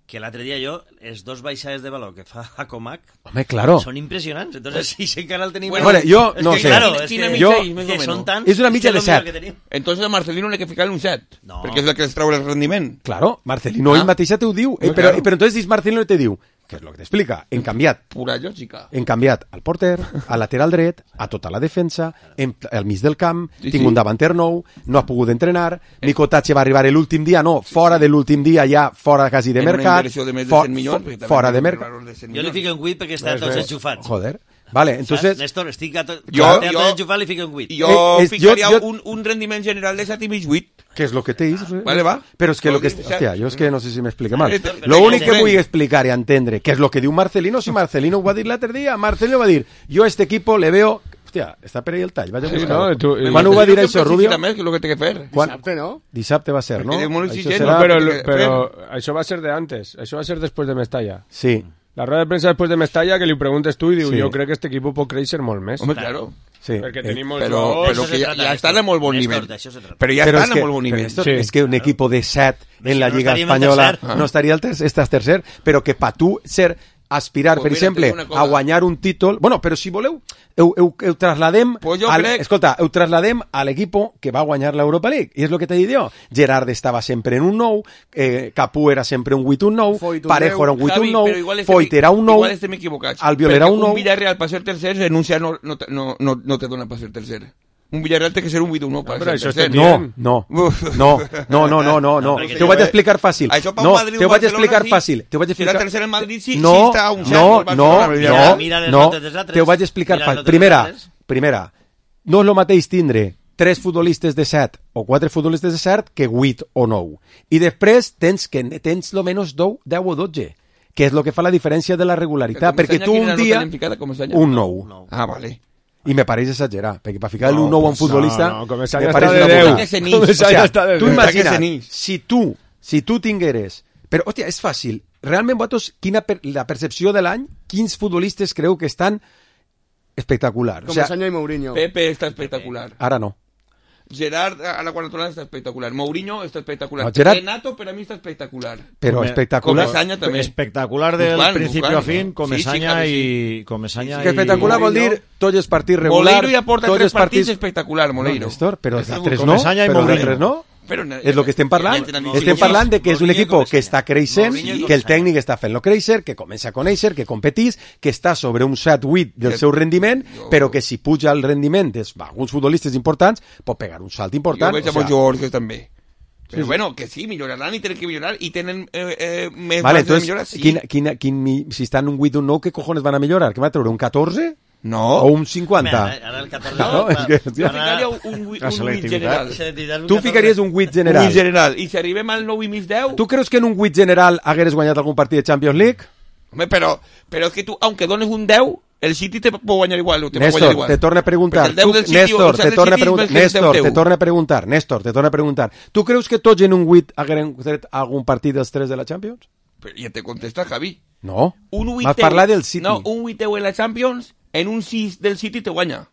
que l'altre dia jo, els dos baixades de valor que fa a Comac, home, claro, són impressionants. Entonces, si sí, encara el tenim... Bueno, bueno, jo no sé. Claro, és que, jo, que són tants... És una mitja de set. Entonces a Marcelino n'he que ficar un set, no. Perquè és el que els trau el rendiment. Claro, Marcelino ah. ell mateixa te ho diu. Eh, però, claro. Però entonces dius Marcelino te diu, que és el que t'explica, hem canviat. Pura lògica. Hem canviat al porter, al lateral dret, a tota la defensa, hem, al mig del camp, sí, tinc sí. un davanter nou, no ha pogut entrenar, eh. Mico Tatxe va arribar l'últim dia, no, sí, fora sí. de l'últim dia, ja fora quasi de en mercat, de for, milions, for, fora de mercat. Jo li fico un vuit perquè està tots enxufats. Joder. Vale, entonces... Néstor, estic a tot... Jo, jo, jo, enxufat li fico un vuit. Jo eh, ficaria jo, jo... Un, un rendiment general de set i mig vuit. Que és lo que te dius. Vale, va. Però és que lo que... Hòstia, jo és que no sé si m'explica mal. L'únic que vull explicar i entendre que és lo que diu Marcelino, si Marcelino ho va dir l'altre dia, Marcelino va dir, jo a este equipo le veo... Hòstia, està per ahí el tall, vaig a buscar. Sí, no, tu, quan ho va dir això, Rubio? Més, que és el que té que fer. Dissabte, no? Dissabte va ser, no? Això serà... Però, però això va ser de antes, això va ser després de Mestalla. Sí. La rueda de prensa després de Mestalla, que li preguntes tu i diu, sí. jo crec que este equip pot créixer molt més. Home, claro. Sí. Perquè eh, tenim però, però que ja, ja estan a molt bon nivell. Però ja però estan que, a molt bon nivell. Sí. És que un equip de set en la Lliga Espanyola no estaria el tercer, estàs tercer, però que pa tu ser aspirar, pues per mira, exemple, a guanyar un títol... Bueno, però si voleu, heu, heu, heu trasladem... Pues al, crec... Escolta, heu trasladem a l'equip que va guanyar l'Europa League. I és el que t'he dit jo. Gerard estava sempre en un nou, eh, Capú era sempre un vuit un nou, Parejo era un vuit un nou, Foyt era un nou, Albiol era un nou... Un Villarreal per ser tercer, renuncia no, no, no, no, no te dona per ser tercer. Un Villarreal té que ser un vuit un nou per ser tercer. No, no, no, no, no, no, no, no. T'ho vaig explicar fàcil. No, t'ho vaig explicar fàcil. T'ho vaig explicar... Si la tercera en Madrid sí, no, sí està a un no, no, no, no, t'ho vaig explicar fàcil. Primera, primera, no és el mateix tindre tres futbolistes de set o quatre futbolistes de set que vuit o nou. I després tens que tens lo menos deu o dotze, que és el que fa la diferència de la regularitat, perquè tu un dia... Un nou. Ah, vale. I me pareix exagerar, perquè per ficar no, un nou a un futbolista... No, no, Comesanya està de deu. Comesanya està de deu. Tu imagina't, si tu, si tu tingueres... Però, hòstia, és fàcil. Realment, vosaltres, quina per, la percepció de l'any, quins futbolistes creu que estan espectaculars? Comesanya o sea, i Mourinho. Pepe està espectacular. Ara no. Gerard a la quarantona està espectacular. Mourinho està espectacular. No, Gerard... Renato per a mi està espectacular. Però Come... espectacular. Comesanya també. Espectacular del Buscan, principio Buscan, a fin, no? Comesanya sí, sí, i Comesanya sí, sí. Espectacular vol dir tots els partits regulars. Moleiro ja porta tres partits espectacular, Moleiro. No, Néstor, però els altres no. Comesanya i Mourinho. no? Però, és el que estem parlant. Estem parlant de que és un equip que està creixent, que el tècnic està fent-lo créixer, que comença a conèixer, que competís, que està sobre un set vuit del seu rendiment, però que si puja el rendiment d'alguns futbolistes importants, pot pegar un salt important. Jo veig amb els jugadors també. Però bueno, que sí, milloraran i tenen que millorar i tenen eh, eh, més vale, entonces, de millorar, sí. Quin, quin, quin, si estan un vuit un nou, què cojones van a millorar? Què va treure, un catorze? No. O un cinquanta? Mira, ara el catorze... No, és que, jo ficaria un, un vuit general. Tu ficaries un vuit general. Un vuit general. I si arribem al nou i mig deu... Tu creus que en un vuit general hagueres guanyat algun partit de Champions League? Home, però, però és que tu, aunque dones un deu, el City te pot guanyar igual. Te Néstor, igual. te torna a preguntar. Tu, City, Néstor, te torna a preguntar. Néstor, te torna a preguntar. Néstor, te torna a preguntar. Tu creus que tots en un vuit hagueren tret algun partit dels tres de la Champions? Però ja te contesta, Javi. No. Un Vas parlar del City. No, un vuiteu en la Champions, en un sis del City te guanya.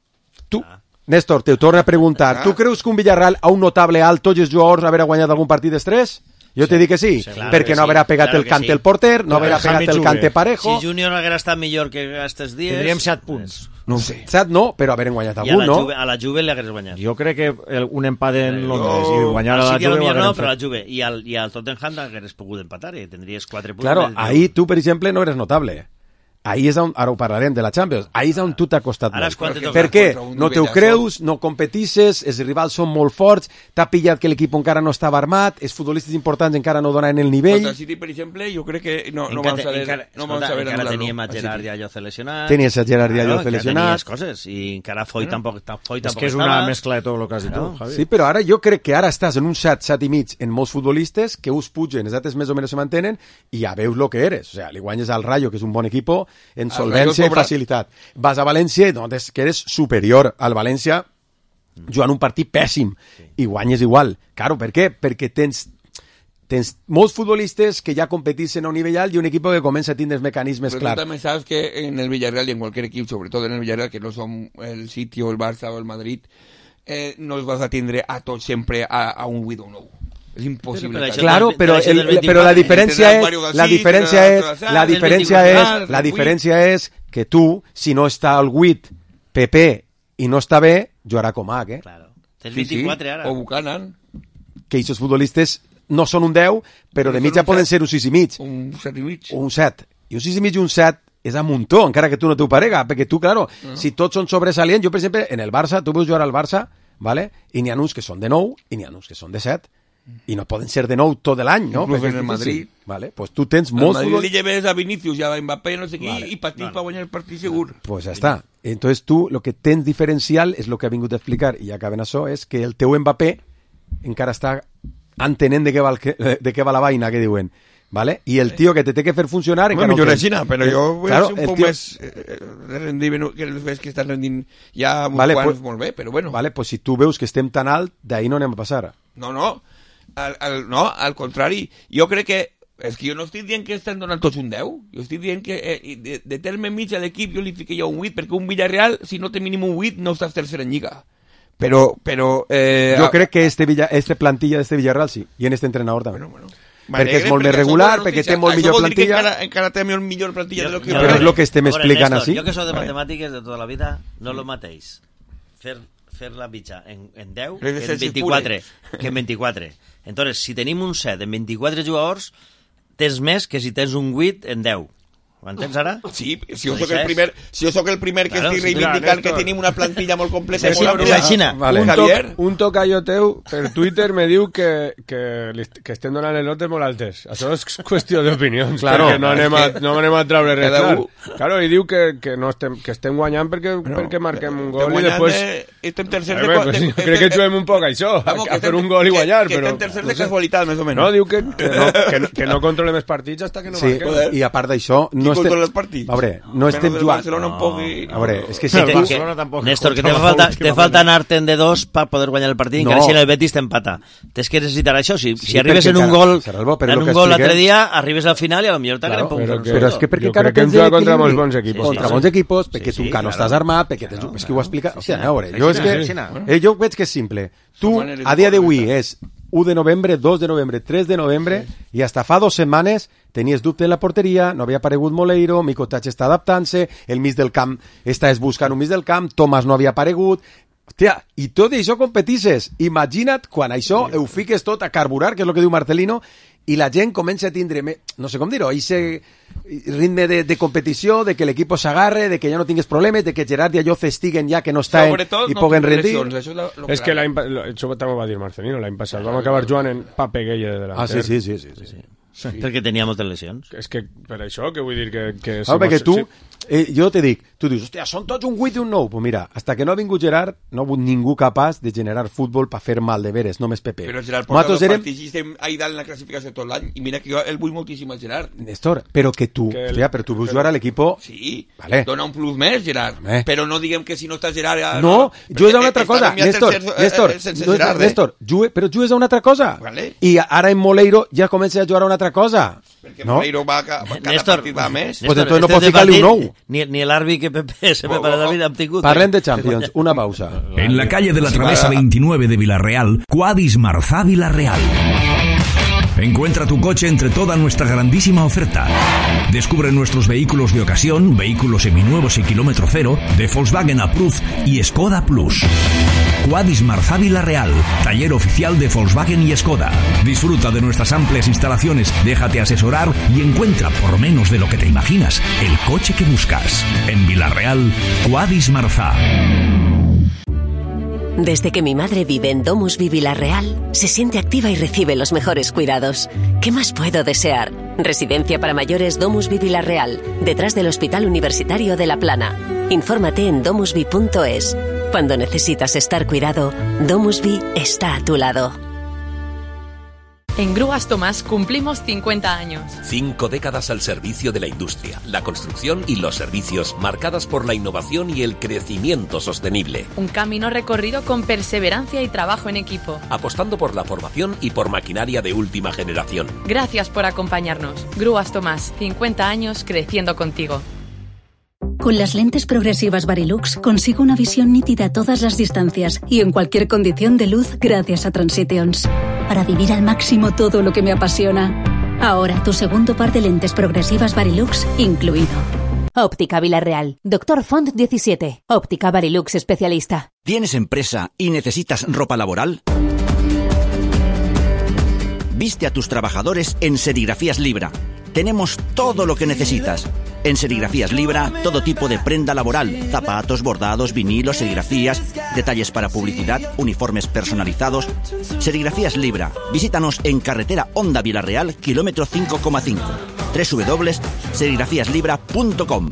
Tu, ah. Néstor, te ho torna a preguntar. Ah. Tu creus que un Villarreal a un notable alt tots els jugadors haurà guanyat algun partit dels tres? Jo sí. te dic que sí, sí claro perquè no haurà pegat claro el cante sí. el porter, no haurà pegat el cante Parejo. Si Junior haguera estat millor que aquests dies... Tindríem set punts. No ho sé. set no, però hagueren guanyat algun, no? Juve, a la Juve li hagués guanyat. Jo crec que el, un empat en Londres oh. i guanyar a la Juve... Millor no, però la Juve. I al, i al Tottenham hagués pogut empatar i tindries quatre punts. Claro, ahí tu, per exemple, no eres notable. Ahí és on, ara ho parlarem de la Champions, ahí és on tu t'ha costat ara molt. Per què? No te ho creus, no competisses, els rivals són molt forts, t'ha pillat que l'equip encara no estava armat, els futbolistes importants encara no donen el nivell. Contra el City, per exemple, jo crec que no, no van saber encara, no van saber encara teníem a Gerard Diallo lesionat. Tenies a Gerard Diallo claro, lesionat. Tenies coses, i encara Foy bueno, tampoc, Foy tampoc és que és estava. una mescla de tot el que has dit tu, Javi. Sí, però ara jo crec que ara estàs en un set, set i mig en molts futbolistes que us pugen, els altres més o menys se mantenen, i ja veus el que eres. O sea, li guanyes al Rayo, que és un bon equip, en solvència i facilitat. Vas a València i notes que eres superior al València jugant un partit pèssim i guanyes igual. Claro, per què? Perquè tens tens molts futbolistes que ja competeixen a un nivell alt i un equip que comença a tindre els mecanismes clars. Però tu també saps que en el Villarreal i en qualsevol equip, sobretot en el Villarreal, que no som el City o el Barça o el Madrid, eh, no els vas a tindre a tots sempre a, a un vuit o un nou. És impossible. Claro, però, el, el, però la diferència és la diferència és la diferència és la diferència és que tu, si no està al vuit Pepe i no està bé, jugarà com H, eh? Claro. Tens vint-i-quatre sí, sí. ara. O Buchanan. Que aquests futbolistes no són un deu, però, però de mitja poden ser un sis i mig. Un set i mig. O un set. I un sis i mig i un set és a muntó, encara que tu no t'ho parega, perquè tu, claro, no. Si tots són sobresalients, jo, per exemple, en el Barça, tu veus jugar al Barça, ¿vale? I n'hi ha uns que són de nou i n'hi ha uns que són de set. I no poden ser de nou tot l'any, no? Inclús en el Madrid. Vale, pues tu tens molts... El Madrid li lleves a Vinicius i a Mbappé, no sé qui, vale. I patís vale. Per guanyar el partit segur. Pues ja està. Entonces tu, lo que tens diferencial, és lo que ha vingut a explicar, i ja acaben això, és que el teu Mbappé encara està entenent de què va, el, de què va la vaina, que diuen. ¿Vale? Y el tío que te té que fer funcionar... Bueno, millor és Xina, però jo vull claro, ser un poc tío... més eh, rendir, que els veus que estan rendint ja uns vale, quants pues, molt bé, però bueno. Vale, pues si tu veus que estem tan alt, d'ahí no anem a passar. No, no, al, al, no, al contrari. Jo crec que és que jo no estic dient que estan donant tots un deu, jo estic dient que eh, de, de terme mig a l'equip jo li fiqué ja un vuit, perquè un Villarreal, si no té mínim un vuit, no estàs tercer en Lliga. Però, però... Eh, jo crec que este, Villa, este plantilla d'este Villarreal sí, i en este entrenador també. Bueno, bueno. Perquè és molt més regular, perquè té molt millor plantilla. Encara, encara té molt millor plantilla jo, de lo que... Però és el que estem explicant així. Jo que soc de matemàtiques de tota la vida, no és el mateix fer, fer la mitja en, en deu que en vint-i-quatre. Que en vint-i-quatre. Entonces, si tenim un set en vint-i-quatre jugadors, tens més que si tens un vuit en deu. Ho entens ara? Sí, si jo soc el primer, si jo soc el primer que claro, estic reivindicant que tenim una plantilla molt completa i molt amplia. Vale. Un, toc, un tocayo teu per Twitter me diu que, que, que estem donant les notes molt altes. Això és qüestió d'opinions, claro, perquè no anem, a, no anem a treure res clar. Claro, i diu que, que, no estem, que estem guanyant perquè, bueno, perquè marquem un gol i després... Estem tercer de... Pues, de, de crec que juguem un poc això, vamos, a, a fer un gol i guanyar, que, però... Que estem tercer de casualitat, més o menys. No, diu que, que, no, que, que no controlem els partits hasta que no sí, marquem. I a part d'això... No estem... els partits? A veure, no estem jugant. No. I... A veure, és que si... Que, que, que, Néstor, que te falta, te falta anar-te en de dos per poder guanyar el partit, no. Encara si en el Betis t'empata. Tens que necessitar això. Si, sí, si arribes en un gol en un gol l'altre dia, arribes al final i potser t'agrada un poc. Però, però és que perquè encara tens equilibri. Contra molts bons equipos. Contra bons equipos, perquè tu encara no estàs armat, perquè tens... És que ho explica... O sigui, a veure, jo és que... Jo veig que és simple. Tu, a dia d'avui, és u de novembre, dos de novembre, tres de novembre, sí. I hasta fa dos setmanes tenies dubte en la porteria, no havia aparegut Moleiro, Mico Tach està adaptant-se, el mig del camp estàs buscant un mig del camp, Tomàs no havia aparegut... Hòstia, i tot això competisses. Imagina't quan això ho fiques tot a carburar, que és el que diu Marcelino, i la gent comença a tindre, no sé com dir-ho, aquest ritme de, de competició, de que l'equip s'agarre, de que ja no tingues problemes, de que Gerard i Ayoce estiguen ja que no estan i no puguen rendir. Això és lo, lo és que l'any això també va dir Marcelino, l'any passat vam acabar jugant en Papeguella de delanter. Ah, sí, sí, sí, sí, sí. sí. Sí. Perquè tenia moltes lesions. És que per això, que vull dir que... que ah, perquè tu, eh, jo te dic, tu dius, hòstia, són tots un vuit i un nou. Pues mira, hasta que no ha vingut Gerard, no ha hagut ningú capaç de generar futbol per fer mal de veres, només Pepe. Però Gerard porta dos érem... partits i estem ahí dalt en la classificació tot l'any, i mira que jo el vull moltíssim al Gerard. Néstor, però que tu, que el... hòstia, però tu veus jugar a l'equip... Sí, vale. Dona un plus més, Gerard, Home. Però no diguem que si no està Gerard... Ja, no, no jugues a una altra cosa, Néstor, Néstor, Néstor, Néstor, jugue, però jugues a una altra cosa. Vale. I ara en Moleiro ja comença a jugar a una altra cosa. Perquè no? Moleiro va, va cada Néstor, partit va més. Pues entonces no pot ficar-li un nou. Ni, ni l'Arbi que Pepe se prepara la vida hem tingut. Parlem de Champions, una pausa. En la calle de la Travesa veintinueve de Villarreal, Quadis Marzá Villarreal. Encuentra tu coche entre toda nuestra grandísima oferta. Descubre nuestros vehículos de ocasión, vehículos seminuevos y kilómetro cero, de Volkswagen Approved y Skoda Plus. Quadis Marzá Villarreal, taller oficial de Volkswagen y Skoda. Disfruta de nuestras amplias instalaciones, déjate asesorar y encuentra, por menos de lo que te imaginas, el coche que buscas. En Villarreal, Quadis Marzá. Desde que mi madre vive en Domusvi Villarreal, se siente activa y recibe los mejores cuidados. ¿Qué más puedo desear? Residencia para mayores Domusvi Villarreal, detrás del Hospital Universitario de La Plana. Infórmate en domusvi punto es. Cuando necesitas estar cuidado, Domusvi está a tu lado. En Grúas Tomás cumplimos cincuenta años. Cinco décadas al servicio de la industria, la construcción y los servicios, marcadas por la innovación y el crecimiento sostenible. Un camino recorrido con perseverancia y trabajo en equipo. Apostando por la formación y por maquinaria de última generación. Gracias por acompañarnos. Grúas Tomás, cincuenta años creciendo contigo. Con las lentes progresivas Varilux consigo una visión nítida a todas las distancias y en cualquier condición de luz gracias a Transitions. Para vivir al máximo todo lo que me apasiona. Ahora tu segundo par de lentes progresivas Varilux incluido. Óptica Villarreal. Doctor Font diecisiete. Óptica Varilux especialista. ¿Tienes empresa y necesitas ropa laboral? Viste a tus trabajadores en Serigrafías Libra. Tenemos todo lo que necesitas. En Serigrafías Libra, todo tipo de prenda laboral, zapatos, bordados, vinilos, serigrafías, detalles para publicidad, uniformes personalizados. Serigrafías Libra. Visítanos en carretera Honda Villarreal, kilómetro cinco coma cinco. doble u doble u doble u punto serigrafías libra punto com.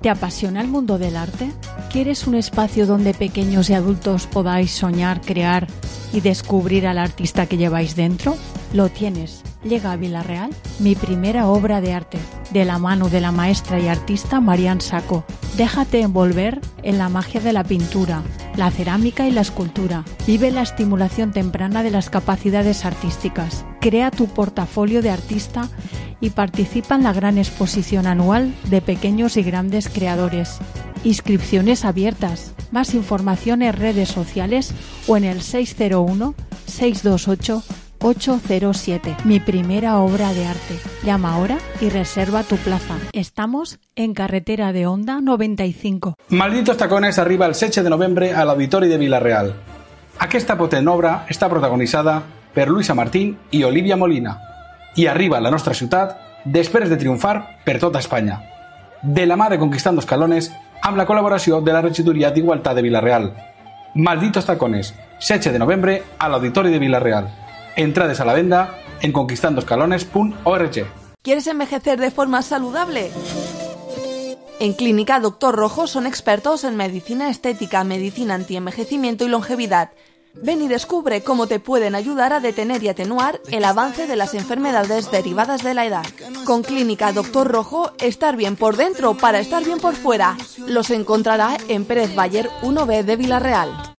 ¿Te apasiona el mundo del arte? ¿Quieres un espacio donde pequeños y adultos podáis soñar, crear y descubrir al artista que lleváis dentro? Lo tienes. Llega a Villarreal mi primera obra de arte, de la mano de la maestra y artista Marian Saco. Déjate envolver en la magia de la pintura, la cerámica y la escultura. Vive la estimulación temprana de las capacidades artísticas. Crea tu portafolio de artista y participa en la gran exposición anual de pequeños y grandes creadores. Inscripciones abiertas. Más información en redes sociales o en el seis cero uno, seis dos ocho, ocho cero siete. Mi primera obra de arte. Llama ahora y reserva tu plaza. Estamos en carretera de Honda noventa y cinco. Malditos tacones arriba el setze de novembre a l'Auditori de Vila-real. Aquesta potent obra està protagonitzada per Luisa Martín i Olivia Molina i arriba a la nostra ciutat després de triomfar per tota Espanya. De la mà de Conquistando Escalones amb la col·laboració de la Regidoria d'Igualtat de Vila-real. Malditos tacones, setze de novembre a l'Auditori de Vila-real. Entrades a la venda en conquistando escalones punto org. ¿Quieres envejecer de forma saludable? En Clínica Doctor Rojo son expertos en medicina estética, medicina antienvejecimiento y longevidad. Ven y descubre cómo te pueden ayudar a detener y atenuar el avance de las enfermedades derivadas de la edad. Con Clínica Doctor Rojo, estar bien por dentro para estar bien por fuera. Los encontrará en Pérez Bayer uno B de Vila-real.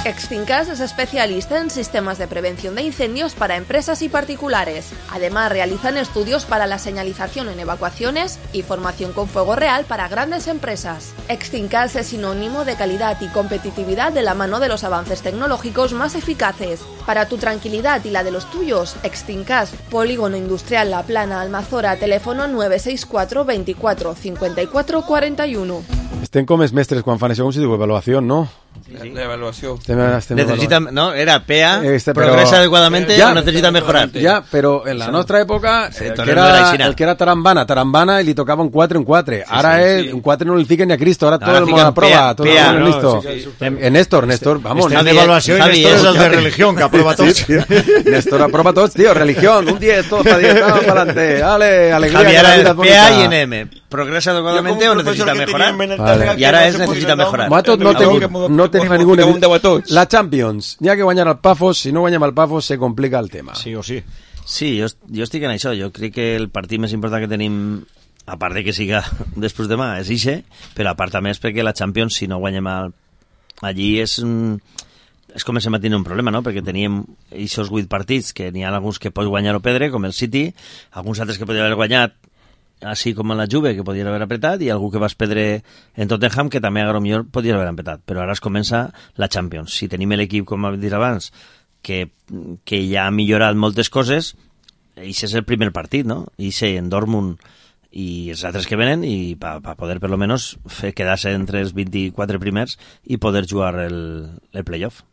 Extincas es especialista en sistemas de prevención de incendios para empresas y particulares. Además, realizan estudios para la señalización en evacuaciones y formación con fuego real para grandes empresas. Extincas es sinónimo de calidad y competitividad de la mano de los avances tecnológicos más eficaces. Para tu tranquilidad y la de los tuyos, Extincas, Polígono Industrial La Plana, Almazora, teléfono nueve seis cuatro, veinticuatro, cincuenta y cuatro cuarenta y uno. Estem com els mestres quan fan això, com si diu avaluació, no? Sí, sí. La evaluació. Estem, estem necesita, no, era P A, este, progresa adecuadamente ya, o necesita mejorar. Ya, pero en la sí. nostra època, sí, el, que era, no el que era tarambana, tarambana, y li tocava un quatre en quatre. Sí, ara sí, és, sí. un quatre no li fiquen ni a Cristo, ara no, tot el món aprova, tot el món no, listo. Sí, sí, sí. En Néstor, Néstor, vamos. Estem d'avaluació i Néstor és el de religión, que aprova tots. Sí, sí. Néstor aprova tots, tío, religión, un diez, todos para diez, vamos para adelante, dale, alegría. Javier, que la P A y en M, ¿progresa adecuadamente o necesita mejorar? Vale. Y ahora es necesita mejorar. Nosaltres no tenim, no tenim ninguna... La Champions, n'hi ha que guanyar el Pafos, si no guanyem el Pafos se complica el tema. Sí o sí. Sí, jo, jo estic en això, jo crec que el partit més important que tenim, a part de que siga després demà, és ixe, però a part també és perquè la Champions, si no guanyem el... allí és... és com estem a tenir un problema, no? Perquè teníem aquests vuit partits, que n'hi ha alguns que pots guanyar o perdre, com el City, alguns altres que podien haver guanyat, així com en la Juve, que podien haver apretat, i algú que vas perdre en Tottenham, que també a millor podien haver apretat. Però ara es comença la Champions. Si tenim l'equip, com hem dit abans, que, que ja ha millorat moltes coses, això és el primer partit, no? Ixe en Dortmund i els altres que venen, i per pa poder, per lo menos, fer quedar-se entre els vint-i-quatre primers i poder jugar el, el playoff.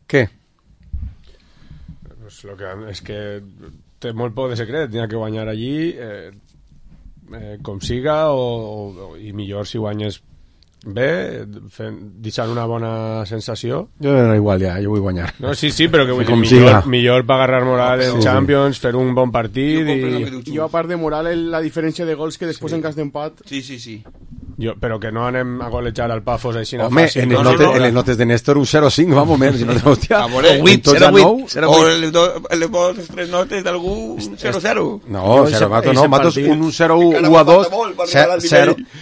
Què? Pues lo que és que té molt poc de secret, n'hi ha que guanyar allí eh, eh, com siga o, o, i millor si guanyes bé, fent, deixant una bona sensació. Jo era igual ja, jo vull guanyar. No, sí, sí, però que vull dir, millor, millor per agarrar moral en sí, Champions, sí. fer un bon partit jo i... Jo a part de moral, la diferència de gols que després sí. en cas d'empat... Sí, sí, sí. Jo, però que no anem a golejar al Pafos així na Home, fàcil. en, el no, notes, no, no. en les notes de Néstor un zero cinc, vamos, men, si no te hòstia. A veure, zero vuit, o les dues tres notes d'algú zero zero. No, zero, Mato, no, Matos un zero u a dos,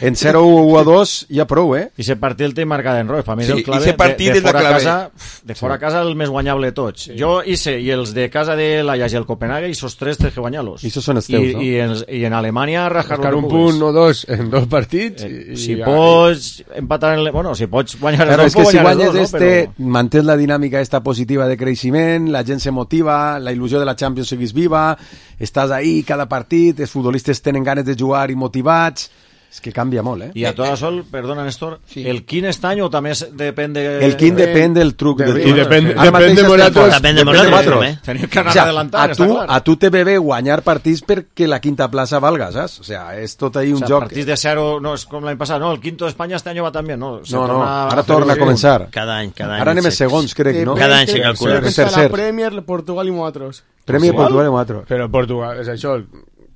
en zero u a dos ja prou, eh? I ese partit el té marcat en roig, per mi és Sí, el clave, ese partit de, de és la fora a clave. casa, de fora a casa el més guanyable de tots. Jo hice, i els de casa de l'Ajax i el Copenhague, i esos tres té que guanyar-los. I esos són els teus, I, no? I en, i en Alemanya rascar Rascar un punt o dos en dos partits. Eh, i, si i, pots empatar en... Le... Bueno, si pots guanyar Claro, els és que dos, si guanyar els guanyes dos, este, no? Però... mantens la dinàmica esta positiva de creixement, la gent se motiva, la il·lusió de la Champions seguís viva, estàs ahí cada partit, els futbolistes tenen ganes de jugar i motivats, és que canvia molt, eh? I a toda sol, perdona Néstor, sí. ¿El quin este año o també depèn de... El quin depèn del truc. De, del I depèn, Ara depèn de Moratos. Depèn de Moratos, eh? Tenim que anar O sea, adelantant, a tu, està clar. a tu te ve bé guanyar partits perquè la quinta plaça valga, saps? O sea, és tot ahí un o sea, joc... partits de cero, no és com l'any passat, no, el quinto d'Espanya este año va també, no? Se No, no, torna ara a torna a fer- començar. Cada any, cada any. Ara anem a se- segons, crec, no? Cada any se calcula. Crec que Tercer. està la Premier, Portugal i nosaltres. Premi Portugal i Moatro. Però Portugal, és això.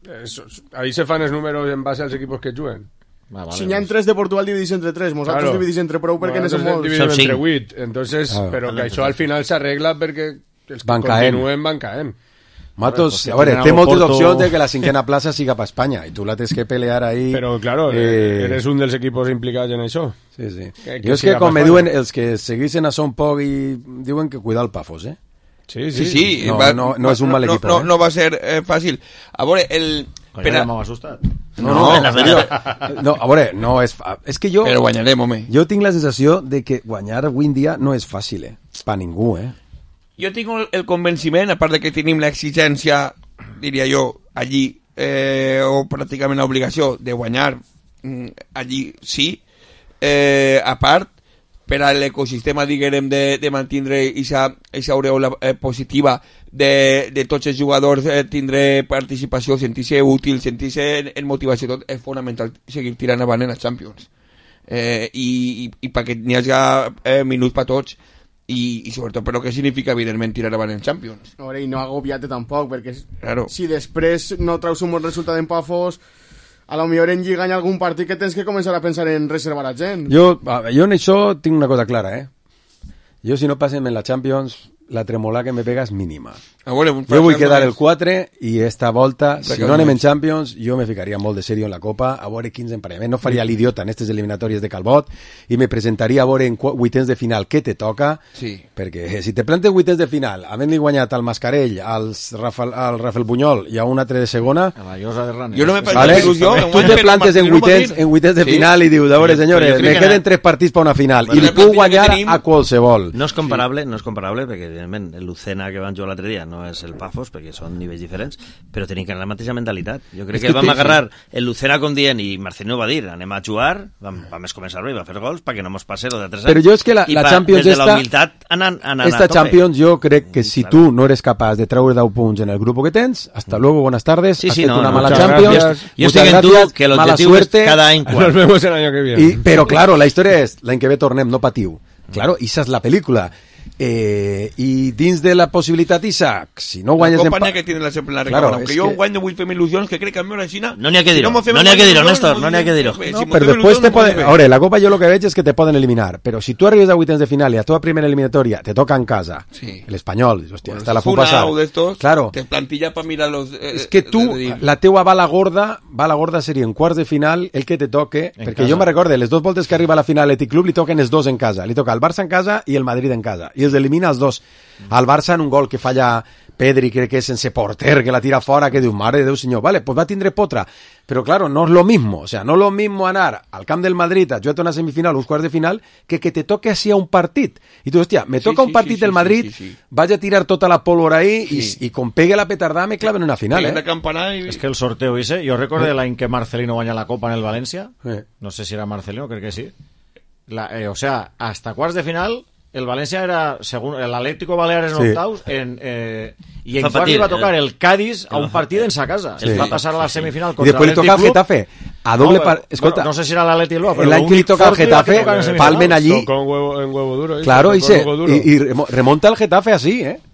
És, ahí se fan els números en base als equipos que juguen. Ah, vale, Si n'hi ha tres de Portugal, dividís entre tres. Nosaltres Claro. dividís entre prou perquè ne som molts. dividim Són entre cinc. vuit. Entonces, Ah. però que això al final s'arregla perquè els que Van caent. continuen van caent. Matos, pues, a veure, tenen té algo moltes Porto- opcions de que la cinquena plaça siga per Espanya i tu la tens que pelear ahí. Però, claro, Eh, eres un dels equipos implicats en això. Sí, sí. Que- que jo és siga que, com per me Espanya. diuen, els que seguissin a Son Poc i diuen que cuidar el Pafos, eh? Sí, Sí, sí, No, va- no- no és un va- mal no, equipo, No, eh? no va ser eh, fàcil. A veure, el... Coño, per a- ja m'ha assustat. No, no, la no, veritat. no, a veure, no és... fa- És que jo... Però guanyarem, home. Jo tinc la sensació de que guanyar avui en dia no és fàcil, eh? Pa ningú, eh? Jo tinc el, el convenciment, a part de que tenim l'exigència, diria jo, allí, eh, o pràcticament l'obligació de guanyar mm, allí sí, eh, a part, per a l'ecosistema, diguem, de, de mantindre aquesta aureola eh, positiva de, de tots els jugadors, eh, tindre participació, sentir-se útil, sentir-se en, en motivació, tot és fonamental seguir tirant avant en la Champions. Eh, i, i, i perquè n'hi hagi eh, minuts per tots i, i sobretot però què significa evidentment tirar avant en Champions. A veure, i no agobiat tampoc, perquè Claro. si després no traus un bon resultat en Pafos, a lo millor en Lliga hi ha algun partit que tens que començar a pensar en reservar a gent. Jo, a- jo en això tinc una cosa clara, eh? Jo si no passem en la Champions, la tremolà que me pega és mínima. A veure, un Jo vull Barça quedar no el és- quatre i esta volta, si Perquè no anem no en és- Champions, jo me ficaria molt de serio en la Copa, a veure quins emparellaments. No faria l'idiota en aquestes eliminatòries de Calbot i me presentaria a veure en qu- vuitens de final què te toca, Sí. perquè si te plantes vuitens de final, havent-li guanyat al Mascarell, als Rafael, al Rafael Bunyol i a un altre de segona, A la llosa de Ranes. Jo no me vale? faig il·lusió. tu te plantes en vuitens, en vuitens de Sí. final i dius, a veure, Però senyores, jo crec me que queden no. tres partits per una final Bueno, i li la puc plantilla guanyar que tenim- a qualsevol. No és comparable, no és comparable, perquè evidentment el Lucena que van jugar l'altre dia no és el Pafos, perquè són nivells diferents, però tenim que anar la mateixa mentalitat. Jo crec És que, que vam té- agarrar el Lucena com dient, i Marcelino va dir, anem a jugar, vam, vam començar bé, va fer gols, perquè no mos passe lo de tres anys. Però jo és que la, I la pa- Champions des de la esta, humilitat anant, anant esta a tope. Champions jo crec que si tu no eres capaç de treure deu punts en el grupo que tens, hasta luego, buenas tardes, Sí, has sí, fet no, una no, mala muchas Champions, gracias. Jo muchas estic en tu gracias, que mala l'objectiu és suerte, cada any Nos quart. vemos el año que viene. y, pero claro, la història és, l'any que ve tornem, no patiu. Claro, esa és la pel·lícula. Eh, I dins de la possibilitat, Isaac, si no guanyes... La en Copa pa- n'hi ha que tiene la sempre la Claro, recabada. Aunque és jo que- guanyo vull fer il·lusions, que crec que a mi la Xina... No n'hi ha que si dir-ho, mos fem no n'hi ha que dir-ho, il·lusions, Néstor, mos no n'hi ha que dir-ho. si No, mos però fem després te il·lusions, poden... mos A veure, la Copa jo el que veig és que te poden eliminar, però si tu arribes a vuitens de final i la teva primera eliminatòria te toca en casa, Sí. l'Espanyol, dius, hòstia, Bueno, esta la si puc Funa passar. o d'estos, Claro, te plantilla para mirar los... Eh, és que tu, de dir. la teua bala gorda, bala gorda seria en quarts de final el que te toque, En perquè casa. jo me recorde, les dues voltes que arriba a la final l'Athletic Club li toquen els dos en casa, li toca el Barça en casa i el Madrid en casa, i els elimina els dos. Al Barça en un gol que falla Pedri, crec que és sense porter, que la tira fora, que diu, mare de Déu senyor, vale, pues va a tindre potra, però claro, no és lo mismo, o sea, no es lo mismo anar al camp del Madrid a jugar una semifinal o uns quarts de final que que te toque así a un partit. I tu, hòstia, me Sí, toca sí, un partit sí, del sí, Madrid, sí, sí, sí. vaig a tirar tota la pólvora ahí Sí. i, i com pegue la petardada me claven una final, Peguem eh? la campana i... És que el sorteo ese, jo recordo l'any que Marcelino guanya la Copa en el València, Eh. no sé si era Marcelino, crec que sí. La, eh, o sea, hasta quarts de final, el València era, según el Atlético Baleares en Sí. octaus, en, eh, i en Fa quarts patir, li va tocar eh? el Cádiz a un partit en sa casa. Sí. Es va passar a la semifinal I contra després li toca al l'Athletic Club. Getafe. A doble No, par... bueno, Escolta, no sé si era l'Atleti Bilbao, però l'any que li l'únic toca al fort li va Getafe, tocar en semifinals. palmen allí Tocó en huevo, en huevo duro. ¿eh? claro, y, Tocó se, en huevo duro. y, y remo- remonta el Getafe así, ¿eh?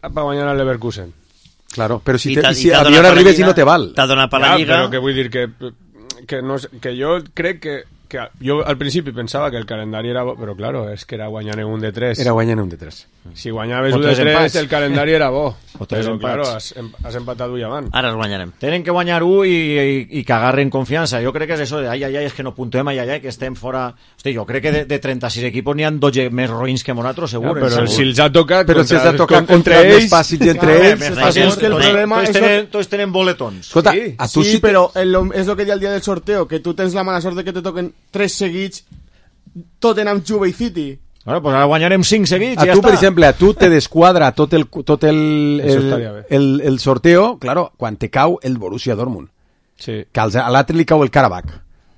per guanyar el Leverkusen. Claro, però si, I te, t'ha- si i t'ha Avión donat per la arribes i Lliga, no te val. t'ha donat per la Ja, Lliga. però que vull dir que, que, no, és- que jo crec que, que jo al principi pensava que el calendari era bo, però claro, és que era guanyant un de tres. Era guanyant un de tres. Si guanyaves un de tres, el calendari era bo. O tres però, empats. claro, has, has empatat un avant. Ara els guanyarem. Tenen que guanyar un i, i, i que agarren confiança. Jo crec que és això de ai, ai, ai, és que no puntuem, ai, ai, ai, que estem fora... Hosti, jo crec que de, de trenta-sis equipos n'hi ha dotze més roïns que nosaltres, segur. Ja, però segur. si els ha tocat... Però si els ha tocat entre ells... ells... Fàcils entre Ja, ells... més Però és que el problema tots, és... tenen, tots tenen boletons. Escolta, Sí, a tu sí, sí te- però el, és el que diu el dia del sorteo, que tu tens la mala sort de que te toquen tres seguits, Tottenham, Juve i City. Bueno, pues ara guanyarem cinc seguits A i ja tu, està. per exemple, a tu te desquadra tot el, tot el, Eso el, estaria bé. el, el sorteo, claro, quan te cau el Borussia Dortmund. Sí. Que als- a l'altre li cau el Karabakh,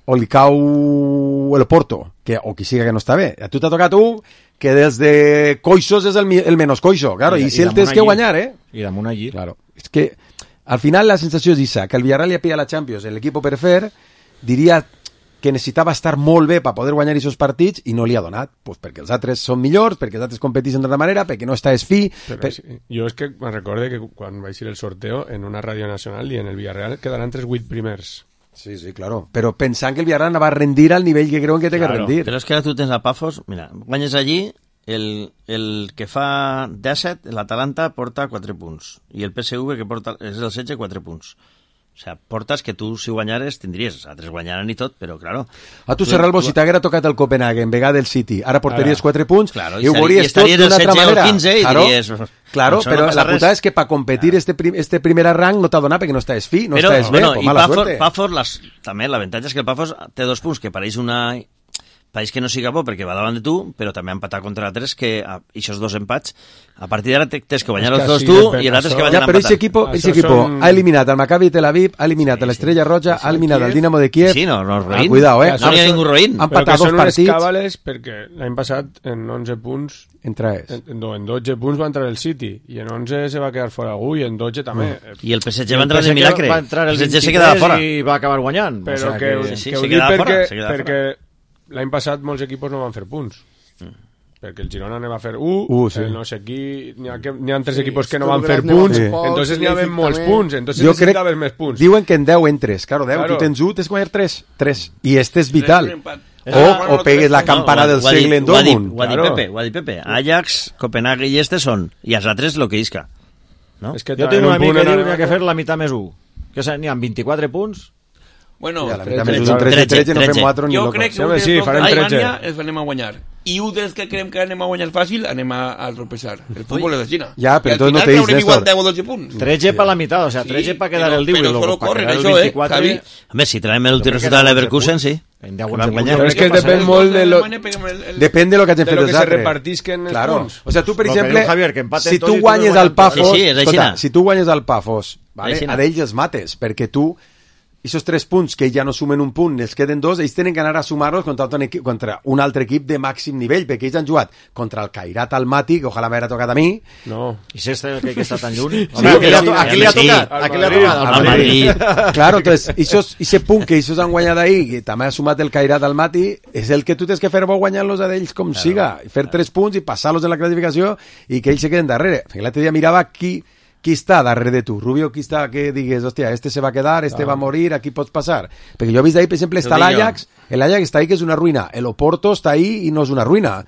o li cau el Porto, que, o qui siga que no està bé. A tu t'ha tocat un que des de coixos és el, mi- el menos coixo, claro, i, I- si i el damunt tens que allí. guanyar, eh? I damunt allí. Claro. És que al final la sensació és esa, que el Villarreal li ha pillat la Champions, l'equip per fer, diria que necessitava estar molt bé per poder guanyar aquests partits i no li ha donat, pues perquè els altres són millors, perquè els altres competeixen d'altra manera, perquè no està esfi... Però per... sí, jo és que me'n recorde que quan vaig ir el sorteo en una ràdio nacional i en el Villarreal quedaran tres vuit primers. Sí, sí, claro. Però pensant que el Villarreal va a rendir al nivell que creuen que té Claro. que rendir. Però és que ara tu tens a Pafos, mira, guanyes allí, el, el que fa disset, l'Atalanta, porta quatre punts, i el P S V, que porta, és el setze, quatre punts. O sea, portes que tu, si guanyares, tindries. Els altres guanyaran i tot, però, claro... A tu, Serralbo, si t'haguera tocat el Copenhague en vegada del City, ara portaries quatre punts, Claro, i ho i veuries tot estaries el d'una altra setze o manera. quinze i claro, diries, claro, això no però passa la res. putada és que per competir este, prim, este primer rang no t'ha donat perquè no estàs fi, no però, estàs bé, bueno, pues i mala Pafos, suerte. Pafos las, també l'avantatge és que el Pafos té dos punts, que pareix una... Pareix que no siga bo perquè va davant de tu, però també ha empatat contra l'altres que a, aquests dos empats, a partir d'ara tens que guanyar És els que dos sí, tu depèn, i l'altre és que això- vayan Ja, a però empatar. aquest equipo, Això ese equipo són- ha eliminat al Maccabi Tel Aviv, ha eliminat a l'Estrella Roja, ha eliminat al Dinamo de Kiev. Sí, no, no és Ah, roïn. cuidado, eh? No n'hi ha ningú roïn. Han Però que empatat dos són unes partits. càbales perquè l'any passat en onze punts Entra és. en, no, en dotze punts va entrar el City i en onze se va quedar fora algú i en dotze també. I el P S G El va entrar P S de G milagre. va entrar el P S G se vint-i-tres quedava fora. i va acabar guanyant. Però o sea que, que... que, sí, que ho se dic quedava perquè, fora, se quedava perquè l'any passat molts equipos no van fer punts. Perquè el Girona ne va fer un, Uh, sí. el no sé qui, n'hi ha, que, n'hi ha tres Sí, equipos que no Sturm van fer Graz ne va punts, fer pocs, entonces n'hi ha Leipzig molts també. punts, entonces Jo crec, necessitaves més punts. diuen que en deu entres, claro, deu, Claro. tu tens un, tens que guanyar tres, tres, i este és vital. empat. O, o pegues la campana del ho ha dit- segle en ho ha dit- Dortmund. Ho ha dit Claro. Pepe, ho ha dit Pepe. Ajax, Copenhague i este són, i els altres lo que isca. No? És que Jo també tinc en un amic punt que en diu el- que hi ha que fer la meitat més un. Que n'hi ha vint-i-quatre punts. Bueno, Ja, la tretze, veritat, més tretze, un tretze, tretze, no fem tretze. quatre ni jo locos. crec que Sí, un home, dels sí, dos farem a tretze. Alemanya els anem a guanyar. I un dels que creiem que anem a guanyar fàcil anem a, a tropezar. El futbol és així. Ja, però I al entonces no final te dis, traurem igual Néstor. deu o dotze punts. tretze per la meitat, o sea, Sí, tretze per quedar però- el diu i però luego solo per corren, quedar el això, eh, vint-i-quatre... Javi. Home, si traiem el últim Crec que resultat de eren l'Everkusen, onze sí. En deu, Que onze van punts. guanyar. Però és que Què passa? depèn Els molt dos de lo- Alemanya peguen el- el- Depèn de lo que hagin de fet lo els que se altres. repartisquen els Claro. punts. O sea, tu, per Lo que exemple, diu Javier, que empaten si tots tu i guanyes tots al guanyen Pafos, Sí, sí, és escolta, així. si tu guanyes al Pafos, vale, Així. a d'ells els mates, perquè tu esos tres punts que ja no sumen un punt, els queden dos, ells tenen que anar a sumar-los contra, un equip, contra un altre equip de màxim nivell, perquè ells han jugat contra el Kairat Almaty, que ojalà m'haguera tocat a mi. No. I si este que, que està tan lluny? Sí, a qui li ha, sí, to- a qui li ha sí. tocat? A qui li ha Al tocat? Al Al Madrid. Madrid. Claro, entonces, esos, ese punt que ells han guanyat ahir, que també ha sumat el Kairat Almaty, és el que tu tens que fer bo guanyar-los a d'ells com siga, i fer tres punts i passar-los en la classificació i que ells se queden darrere. L'altre dia mirava qui qui està darrere de tu, Rubio, qui està, que digues, hòstia, este se va quedar, este Ah. va a morir, aquí pots passar. Perquè jo he vist ahí, per exemple, està Ho dic jo. l'Ajax, l'Ajax està ahí que és una ruïna, el Oporto està ahí i no és una ruïna.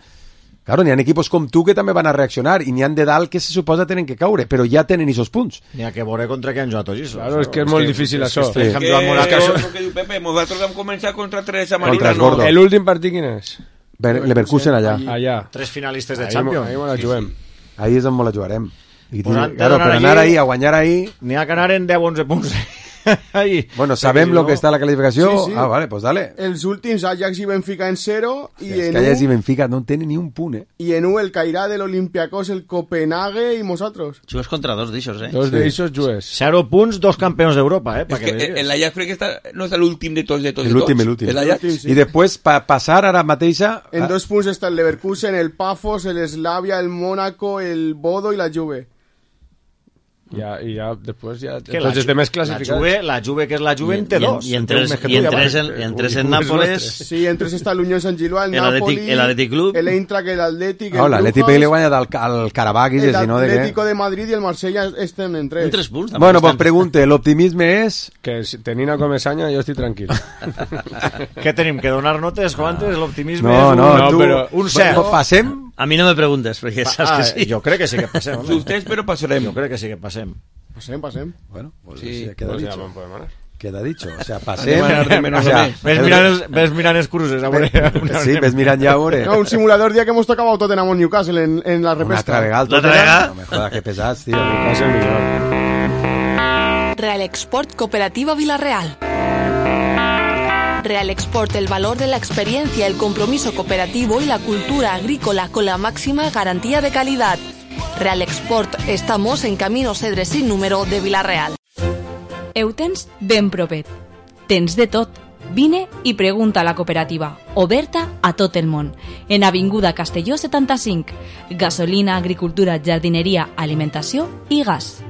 Claro, n'hi ha equipos com tu que també van a reaccionar i n'hi han de dalt que se suposa tenen que caure, però ja tenen esos punts. N'hi ha que veure contra què han jugat tots. Claro, és que és molt difícil això. És que Sí. han Que, jugat molt a casa. el que diu Pepe, nosaltres vam començar contra tres a Contra Marina, els no. gordos. El últim partit quin és? Leverkusen allà. Allà. Tres finalistes de Ahí, Champions. ahí me la juguem. Ahí és on la jugarem. I, Pues han de claro, donar per allí- anar ahí a guanyar ahí... N'hi ha que anar en deu onze punts. Ahí. Bueno, sabem lo no. que està a la classificació. Sí, sí. Ah, vale, pues dale. Els últims, Ajax i Benfica en zero, i És en que Ajax i u, Benfica no tenen ni un punt, eh? i en u el Cairà de l'Olympiacos, el Copenhague i nosaltres. Jugues contra dos d'aixòs, eh? Dos d'eixos jugues. Zero punts, dos campions d'Europa, eh? És Pa que vegues. el Ajax crec que està, no és l'últim de tots, de tots, de L'últim, tots. l'últim. El Ajax. L'últim, sí. I després, pa passar ara mateixa... En ah, dos punts està el Leverkusen, el Pafos, el Slavia, el Mónaco, el Bodo i la Juve. Ya, y ya después ya que entonces la, de mes clasificados. La Juve, la Juve que es la Juve en T dos. Y en tres en, en, en, en, tres en Nápoles. Sí, en tres està l'Unió Sant Gilwà, el, el Napoli, el Athletic Club, el Eintracht, el Athletic, el oh, l'Atlètic li guanya al, al Carabakis, el si no de Atlético de Madrid i el Marsella estem en tres. En tres punts. Bueno, pues pregunte, l'optimisme és... Que si tenint a Comesaña jo estic tranquil. Què tenim, que donar notes, Juantes? L'optimisme no, és un, no, no, tu, però un cert. Passem? A mi no me preguntes, perquè saps ah, que sí. Jo crec que sí que passem. Vostès, però passarem. Jo crec que sí que passem. Pasem, pasem. Bueno, pues sí, sí, queda pues dicho. Ya Queda dicho. O sea, pasem... O sea, ves, mirant, ves mirant els cruces. A veure, ves, sí, ves mirant ja a veure. No, un simulador dia que hemos tocado Tottenham en Newcastle en, en la repesca. Una altra vegada el Tottenham. No me jodas, que pesats, tío. Newcastle millor. Real Export Cooperativa Villarreal. Real Export, el valor de la experiencia, el compromiso cooperativo y la cultura agrícola con la máxima garantía de calidad. Real Export, estamos en Camino Cedre sin número de Villarreal. Ho tens ben propet. Tens de tot. Vine i pregunta a la cooperativa, oberta a tot el món. En Avinguda Castelló setanta-cinc. Gasolina, agricultura, jardineria, alimentació i gas.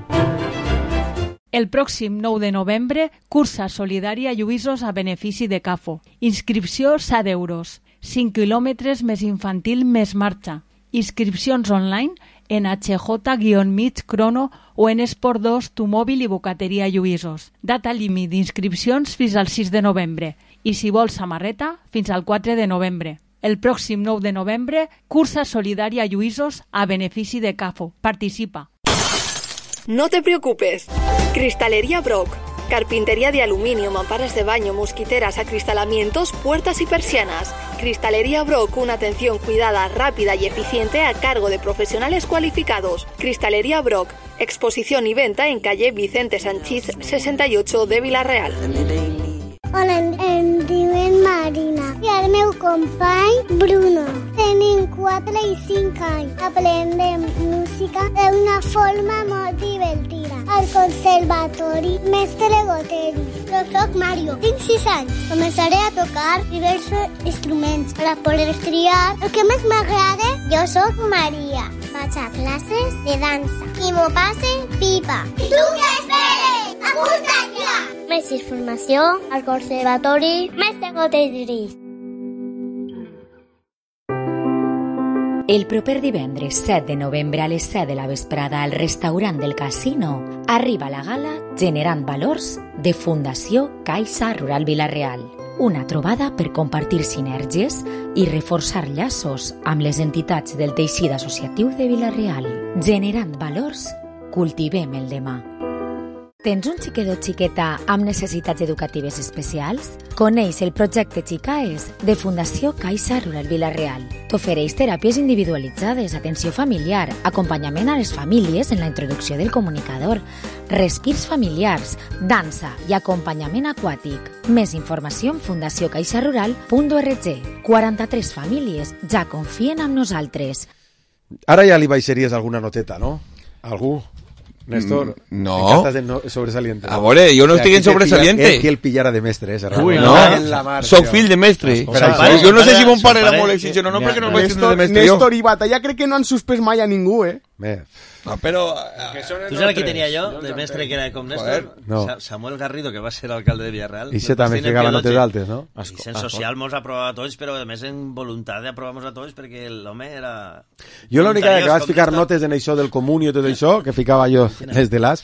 El pròxim nou de novembre, cursa solidària Lluïsos a benefici de CAFO. Inscripció set euros. cinc quilòmetres més infantil més marxa. Inscripcions online en H J Crono o en Esport dos, Tu Mòbil i Bocateria Lluïsos. Data límit d'inscripcions fins al sis de novembre i si vols samarreta fins al quatre de novembre. El pròxim nou de novembre, cursa solidària Lluïsos a benefici de CAFO. Participa. No te preocupes. Cristalería Brock. Carpintería de aluminio, mamparas de baño, mosquiteras, acristalamientos, puertas y persianas. Cristalería Brock, una atención cuidada, rápida y eficiente a cargo de profesionales cualificados. Cristalería Brock, exposición y venta en calle Vicente Sanchís sesenta y ocho de Villarreal. Hola, em diuen Marina i el meu company Bruno. Tenim quatre i cinc anys. Aprendem música d'una forma molt divertida. Al conservatori Mestre Goteris. Jo soc Mario, tinc sis anys. Començaré a tocar diversos instruments per a poder triar el que més m'agrada. Jo soc Maria. Vaig a classes de dansa i m'ho passe pipa. I tu què esperes? Apunta't ja! Més informació al Conservatori Mestre Goteris. El proper divendres set de novembre a les set de la vesprada al restaurant del Casino arriba la gala Generant Valors de Fundació Caixa Rural Villarreal. Una trobada per compartir sinergies i reforçar llaços amb les entitats del teixit associatiu de Villarreal. Generant valors, cultivem el demà. Tens un xiquet o xiqueta amb necessitats educatives especials? Coneix el projecte Xicaes de Fundació Caixa Rural Villarreal. T'ofereix teràpies individualitzades, atenció familiar, acompanyament a les famílies en la introducció del comunicador, respirs familiars, dansa i acompanyament aquàtic. Més informació en fundació caixa rural punt org. quaranta-tres famílies ja confien en nosaltres. Ara ja li baixaries alguna noteta, no? Algú? Néstor, no. En no sobresaliente. A veure, jo no o sea, estic en sobresaliente. És que el pillara de mestre, ese Uy, no. no. Soc fill de mestre. O sea, pare, jo no sé si mon pare era molt exigent o no, perquè no vaig de mestre jo. Néstor i Batalla crec que no han suspès mai a ningú, eh? Bé. No, però... Tu saps qui tenia jo, de mestre que era com Néstor? No. Samuel Garrido, que va ser alcalde de Villarreal. I se també ficava notes altes, no? I en social mos aprovava tots, però a més en voluntat d'aprovar-nos a tots, perquè l'home era... Jo l'única que vaig ficar notes en això del comuni i tot això, que ficava jo des de l'as,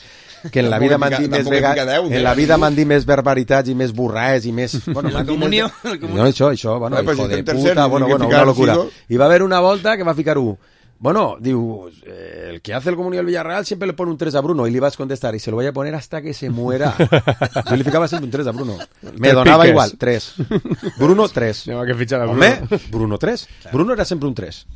que en la vida m'han dit més vega... en la vida m'han dit més barbaritats i més burraes i més... Bueno, el comunio? No, això, això, bueno, hijo de puta, bueno, bueno, una locura. I va haver una volta que va ficar un... Bueno, digo, eh, el que hace el comunio del Villarreal siempre le pone un tres a Bruno y le ibas a contestar y se lo voy a poner hasta que se muera. Yo le ficaba siempre un tres a Bruno. Me donaba igual, tres. Bruno, tres. Lleva que fichar a Bruno. Home, Bruno, tres. Bruno era siempre un tres.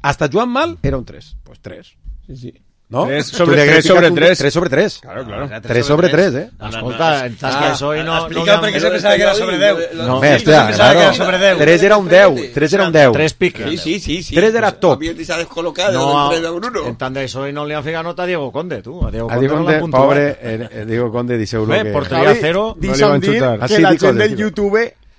Hasta Joan Mal era un tres. Pues tres. Sí, sí. ¿No? tres sobre tres sobre tres. tres sobre tres. Claro, claro. tres sobre tres, eh? Escolta, entàs que això i no... Explica per què se pensava que era sobre deu. No, hòstia, claro. tres era un deu. tres era un deu. tres piques. Sí, sí, sí, sí. tres era top. Havia deixat descol·locat no, del tres de Bruno. En tant d'això i no li han ficat nota a Diego Conde, tu. A Diego a Conde, Conde no pobre, eh, Diego Conde, disseu-lo que... porteria cero, no li van xutar. Que la gent del YouTube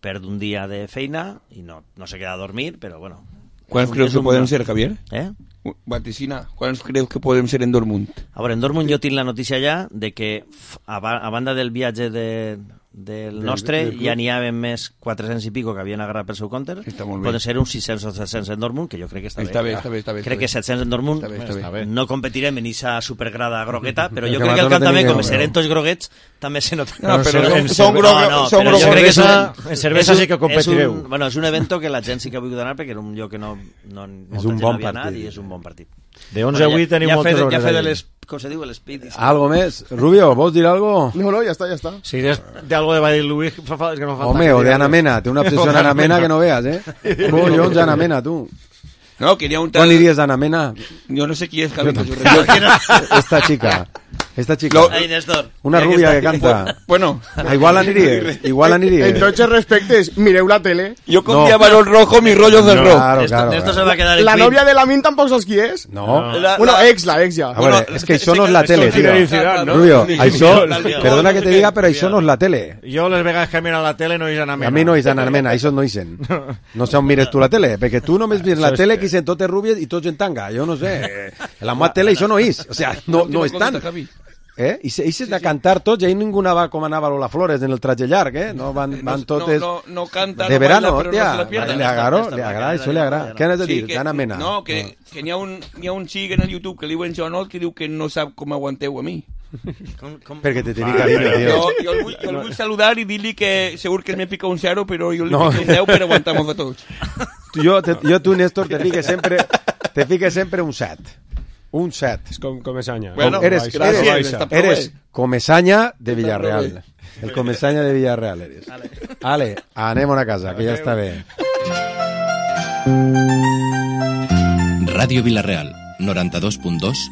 perd un dia de feina i no, no se queda a dormir, però bueno. ¿Cuáles creus que podem ser, Javier? Eh? Vaticina, ¿cuáles creus que podem ser en Dortmund? A veure, en Dortmund jo tinc la notícia ja de que a, ba a banda del viatge de, del nostre, del, del ja n'hi ha més quatre-cents i pico que havien agarrat pel seu compte, poden ser uns sis-cents o set-cents en Dortmund, que jo crec que està, està bé. bé, està bé, està bé crec està que set-cents en Dortmund, està bé, està bé. Està bé. No competirem en aquesta supergrada grogueta, però jo crec que el camp també, com serem tots groguets, també se nota. No, però són groguets. Jo crec que en cervesa sí que competireu. Bueno, és un evento que la gent sí que ha volgut anar perquè era un lloc que no és un bon partit i és un bon partit. De onze a vuit tenim moltes hores. Ja fe de les... Com se diu, l'espit. Algo més? Rubio, vols dir algo? No, no, ja està, ja està. Si és de algo de Badil Luis, que no falta... Home, o de Ana Mena, té una obsessió en Ana Mena que no veas, eh? Collons, Ana Mena, tu. No, quería un tal... ¿Cuál irías de Ana Mena? Yo no sé quién es, Carlos. Esta chica. Esta chica. Lo... Ay, Néstor. Una rubia que canta. Bueno. Ah, igual aniries. Igual aniries. Entonces respectes, mireu la tele. Yo con mi balón rojo, mis rollos del no, rock. Claro, claro. Néstor se va a quedar en La Queen. Novia de la Min tampoc saps qui és? No. La, bueno, la... ex, la ex ja. A veure, és que això no és la tele, tio. ¿no? Rubio, això, perdona que te diga, però això no és la tele. Jo les vegades que miro la tele no hi ha Ana Mena. A mi no hi ha Ana Mena, això no hi sent. No sé on mires tu la tele, perquè tu només mires la tele que sent totes rúbies i tots en tanga. Jo no sé. En la meva tele això no és. O sea, no, no estan. Eh? I se, i se sí, de cantar tots, i ningú va com anava Lola Flores en el traje llarg, eh? No van, van totes... No, no, no canta, de no verano, baila, tia, no se la pierda. Le agrada, le agrada, això le agrada. Què has de dir? Sí, que, D'Ana Mena. No, que, no. que n'hi ha un, n'hi ha un xic en el YouTube que li diuen Jonot que diu que no sap com aguanteu a mi. Com, com... Perquè te tenia carinyo, tio. Jo, jo, el vull, jo el vull saludar i dir-li que segur que me fica un zero, però jo li no. fico un deu per aguantar-nos a tots. Jo, te, jo tu, Néstor, te fique sempre, te fique sempre un set. Un set. És com Comesaña. Bueno, eres, eres, eres, eres Comesaña de Villarreal. El Comesaña de Villarreal eres. Ale, anem a casa, que ja està bé. Ràdio Vilareal, noranta-dos punt dos.